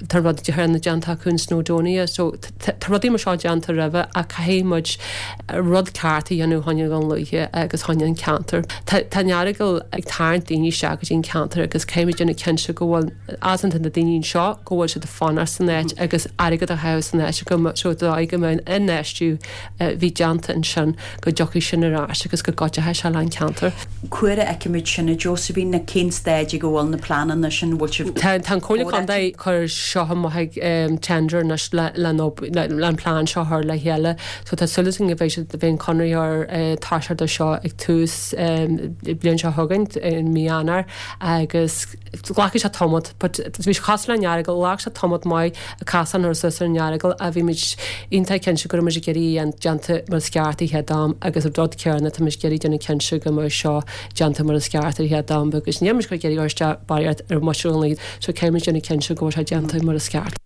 Tá rud céanna déanta acu in Snowdonia so tá rudaí mar seo déanta roimhe ach caithfidh muid rud ceart a dhéanamh fá choinne Dhún Lúiche agus fá choinne an ceantar. Tá an Earagail ag tarraingt daoine isteach go dtí an ceantar agus caithfidh muid déanamh cinnte go bhfuil as na daoine anseo go bhfuil siad ag fanacht san áit agus airgead a chaitheamh san áit go so dóigh go mbeidh an infheistiú a bhí déanta ansin go dtiocfaidh sin ar ais agus go gcuideoidh sé le an ceantar. Cá huair a fheicfimid sin a Josephine, cén staid ag a bhfuil na pleananna sin, bhfuil sibh Tá an Comhairle Contae ag cur seo amach ag tender anois le le an plean seo a chur le chéile. So tá súil againn go mbeidh siad bheidh an conraitheoir toiseacht ar seo ag tús bliain seo chugainn i mí Eanáir agus glacfaidh sé tamall but bhí sé cosúil leis an Earagail, ghlac sé tamall maith an casán a chur suas ar an Earagail ach bhí muid iontach cinnte go raibh muid ag iarraidh é déanta mar is ceart an chéad am agus an rud céanna tá muid ag iarraidh déanamh cinnte go mbeidh seo déanta mar is ceart ar an chéad am agus níl muid ag iarraidh cur isteach barraíocht ar mhuintir Dhún Lúiche so caithfidh muid déanamh cinnte go bhfuil sé déanta mar is ceart.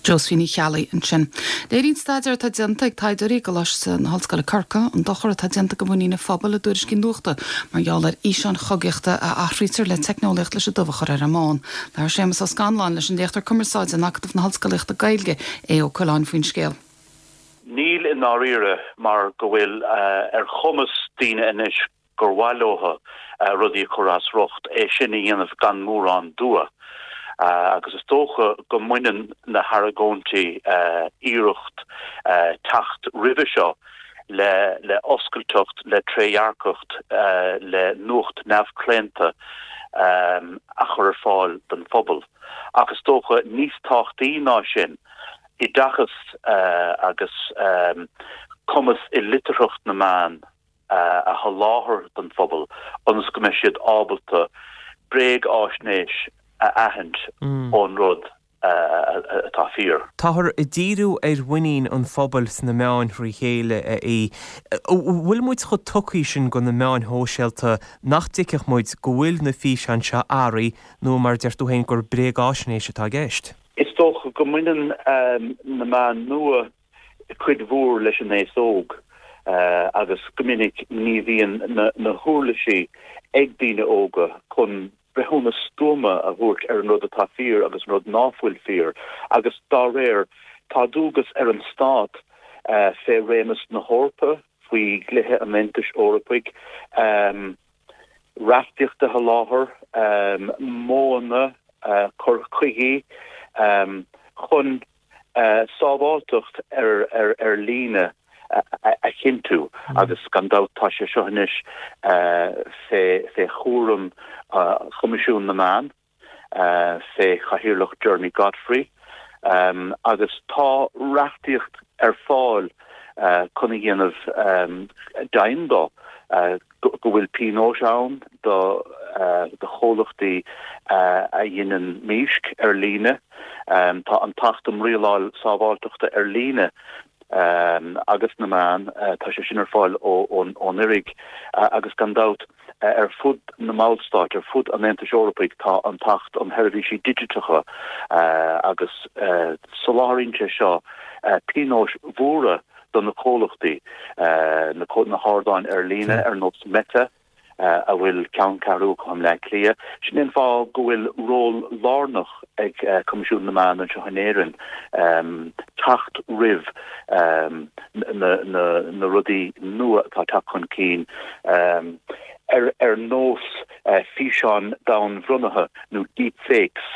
Josephine Uí Cheallaigh ansin. Léiríonn staidéar atá déanta ag taighdeoirí i gColáiste na hOllscoile Corcaigh an dochar atá déanta do mhuinín an phobail i dtuairiscí nuachta mar gheall ar fhíseáin chogaíochta a athraítear le teicneolaíocht leis an dubh a chur ar an mbán. Labhair Séamus Ó Scanláin leis an léachtóir cumarsáide in Acadamh na hOllscolaíochta Gaeilge, Aodh Ó Coileáin faoin scéal. Níl i ndáiríre mar go bhfuil ar chumas daoine anois gur mhaith leo rudaí a chur as riocht, é sin a dhéanamh gan mórán dua. Agus is dócha go mbaineann na hargóintí iarracht teacht roimhe seo le le oscailteacht, le trédhearcacht, le nuacht neamhchlaonta a chur ar fáil don phobal. Ach is dócha níos tábhachtaí ná sin, oideachas agus cumas i litearthacht na meán a sholáthar don phobal ionas go mbeidh siad ábalta bréagáisnéis a aithint ón rud atá fíor. Táthar ag díriú ar mhuinín an phobail sna meáin thrí chéile, a Aoidh. An bhfuil muid chomh tugtha sin go na meáin shóisialta nach dtuigfeadh muid go bhfuil na físeáin seo athraithe nó mar a deir tú féin gur bréagáisnéis atá i gceist? Is dócha go mbaineann na meáin nua cuid mhór leis an aos óg agus go minic ní bhíonn na huirlisí ag daoine óga chun breithiúnas stuama a thabhairt ar an rud atá fíor agus an rud ná fuil fíor agus dá réir tá dualgas ar an stát fé réimeas na hEorpa, faoi dhlíthe an Aontais Eorpaigh, reachtaíocht a sholáthar, modhanna cur chuigí chun sábháilteacht ar líne a chinntiú agus gan dabht tá sé seo anois fé chúram Choimisiún na Meán, fé chathaoirleacht Jeremy Godfrey agus tá reachtaíocht ar fáil chun a dhéanamh deimhin de go bhfuil pionóis ann do chomhlachtaí a dheineann mísc ar líne. Tá an tAcht um Rialáil Sábháilteachta ar Líne agus na Meán, tá sé sin ar fáil ón OIRIG agus gan dabht ar fud na mballstát, ar fud an Aontais Eorpaigh tá an tAcht um Sheirbhísí Digiteacha agus soláthraíonn sé seo pionóis mhóra do na comhlachtaí, na hardáin ar líne ar nós Meta, a bhfuil ceanncheathrú acu i mBleá Cliath. Sin é an fáth go bhfuil ról lárnach ag Coimisiún na Meán anseo in Éirinn teacht roimh na rudaí nua atá ag teacht chun cinn ar nós físeáin domhainbhrionnaithe nó deep fakes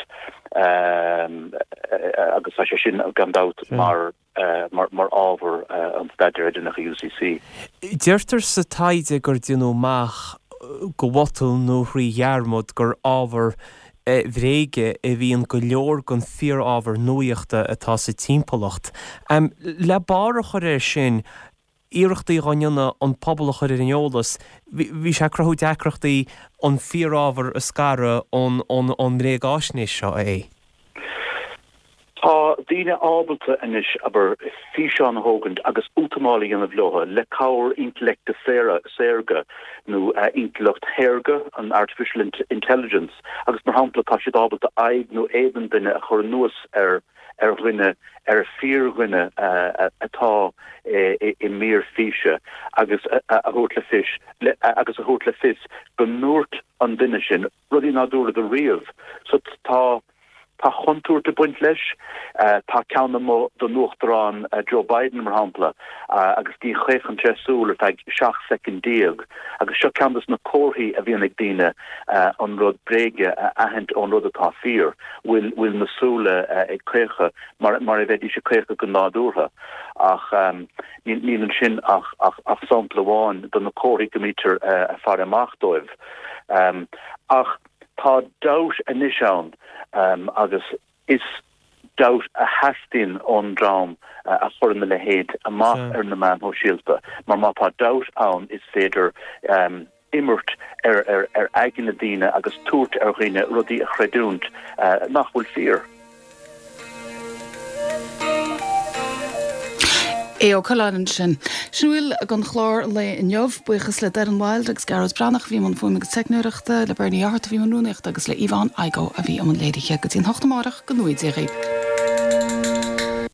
agus tá sé sin gan dabht mar mar ábhar an staidéir a deineadh i UCC. Deirtear sa taighde gur déanadh amach go botún nó thrí dhearmad gur ábhar bhréige a bhíonn go leor den fíorábhar nuachta atá sa timpeallacht. Le barr a chur air sin, iarrachtaí dhá ndéanamh an pobal a chur ar an eolas, bhí sé ag cruthú deacrachtaí an fíorábhar a scaradh ón mbréagáisnéis seo, a Aoidh. Tá daoine ábalta anois, abair, físeán a thógaint agus útamáil a dhéanamh leo le cabhair intleachta saorga nó intleacht shaorga, an artificial intelligence, agus mar shampla tá siad ábalta aghaidh nó éadan duine a chur anuas ar ar dhuine, ar fíordhuine atá i mír físe agus a thabhairt le fios agus a thabhairt le fios go ndúirt an duine sin rudaí ná dúradar riamh. So tá. Tá contúirt ag baint leis. Tá ceann amuigh don Uachtarán Joe Biden, mar shampla, agus ní chaochann sé súil ar feadh seacht soicind déag. Agus seo ceann de na comharthaí a bhíonn ag daoine an rud bréige a aithint ón rud atá fíor, bhfuil bhfuil na súile ag caochadh mar mar a bheidís ag caochadh go nádúrtha. Ach níl ansin ach ach sampla amháin de na comharthaí go mbítear ag faire amach dóibh. Ach. Tá dabht anois ann agus is dabht a theastaíonn ón dream a chuireann a leithéid amach ar na meáin shóisialta mar má tá dabht ann is féidir imirt ar aigne daoine agus tabhairt ar dhaoine rudaí a chreidiúint nach bhfuil fíor. Aodh Ó Coileáin ansin. Sin a bhfuil den chlár lae inniu. Buíochas le Doireann Wilde agus Gearóid Breathnach a bhí i mbun fuaime agus teicneoireachta, le Bernie Fhátharta a bhí i mbun rúnaíochta agus le Yvonne Igoe a bhí i mbun léirithe. Go dtí an hocht amárach, go ngnóthaí Dia dhaoibh.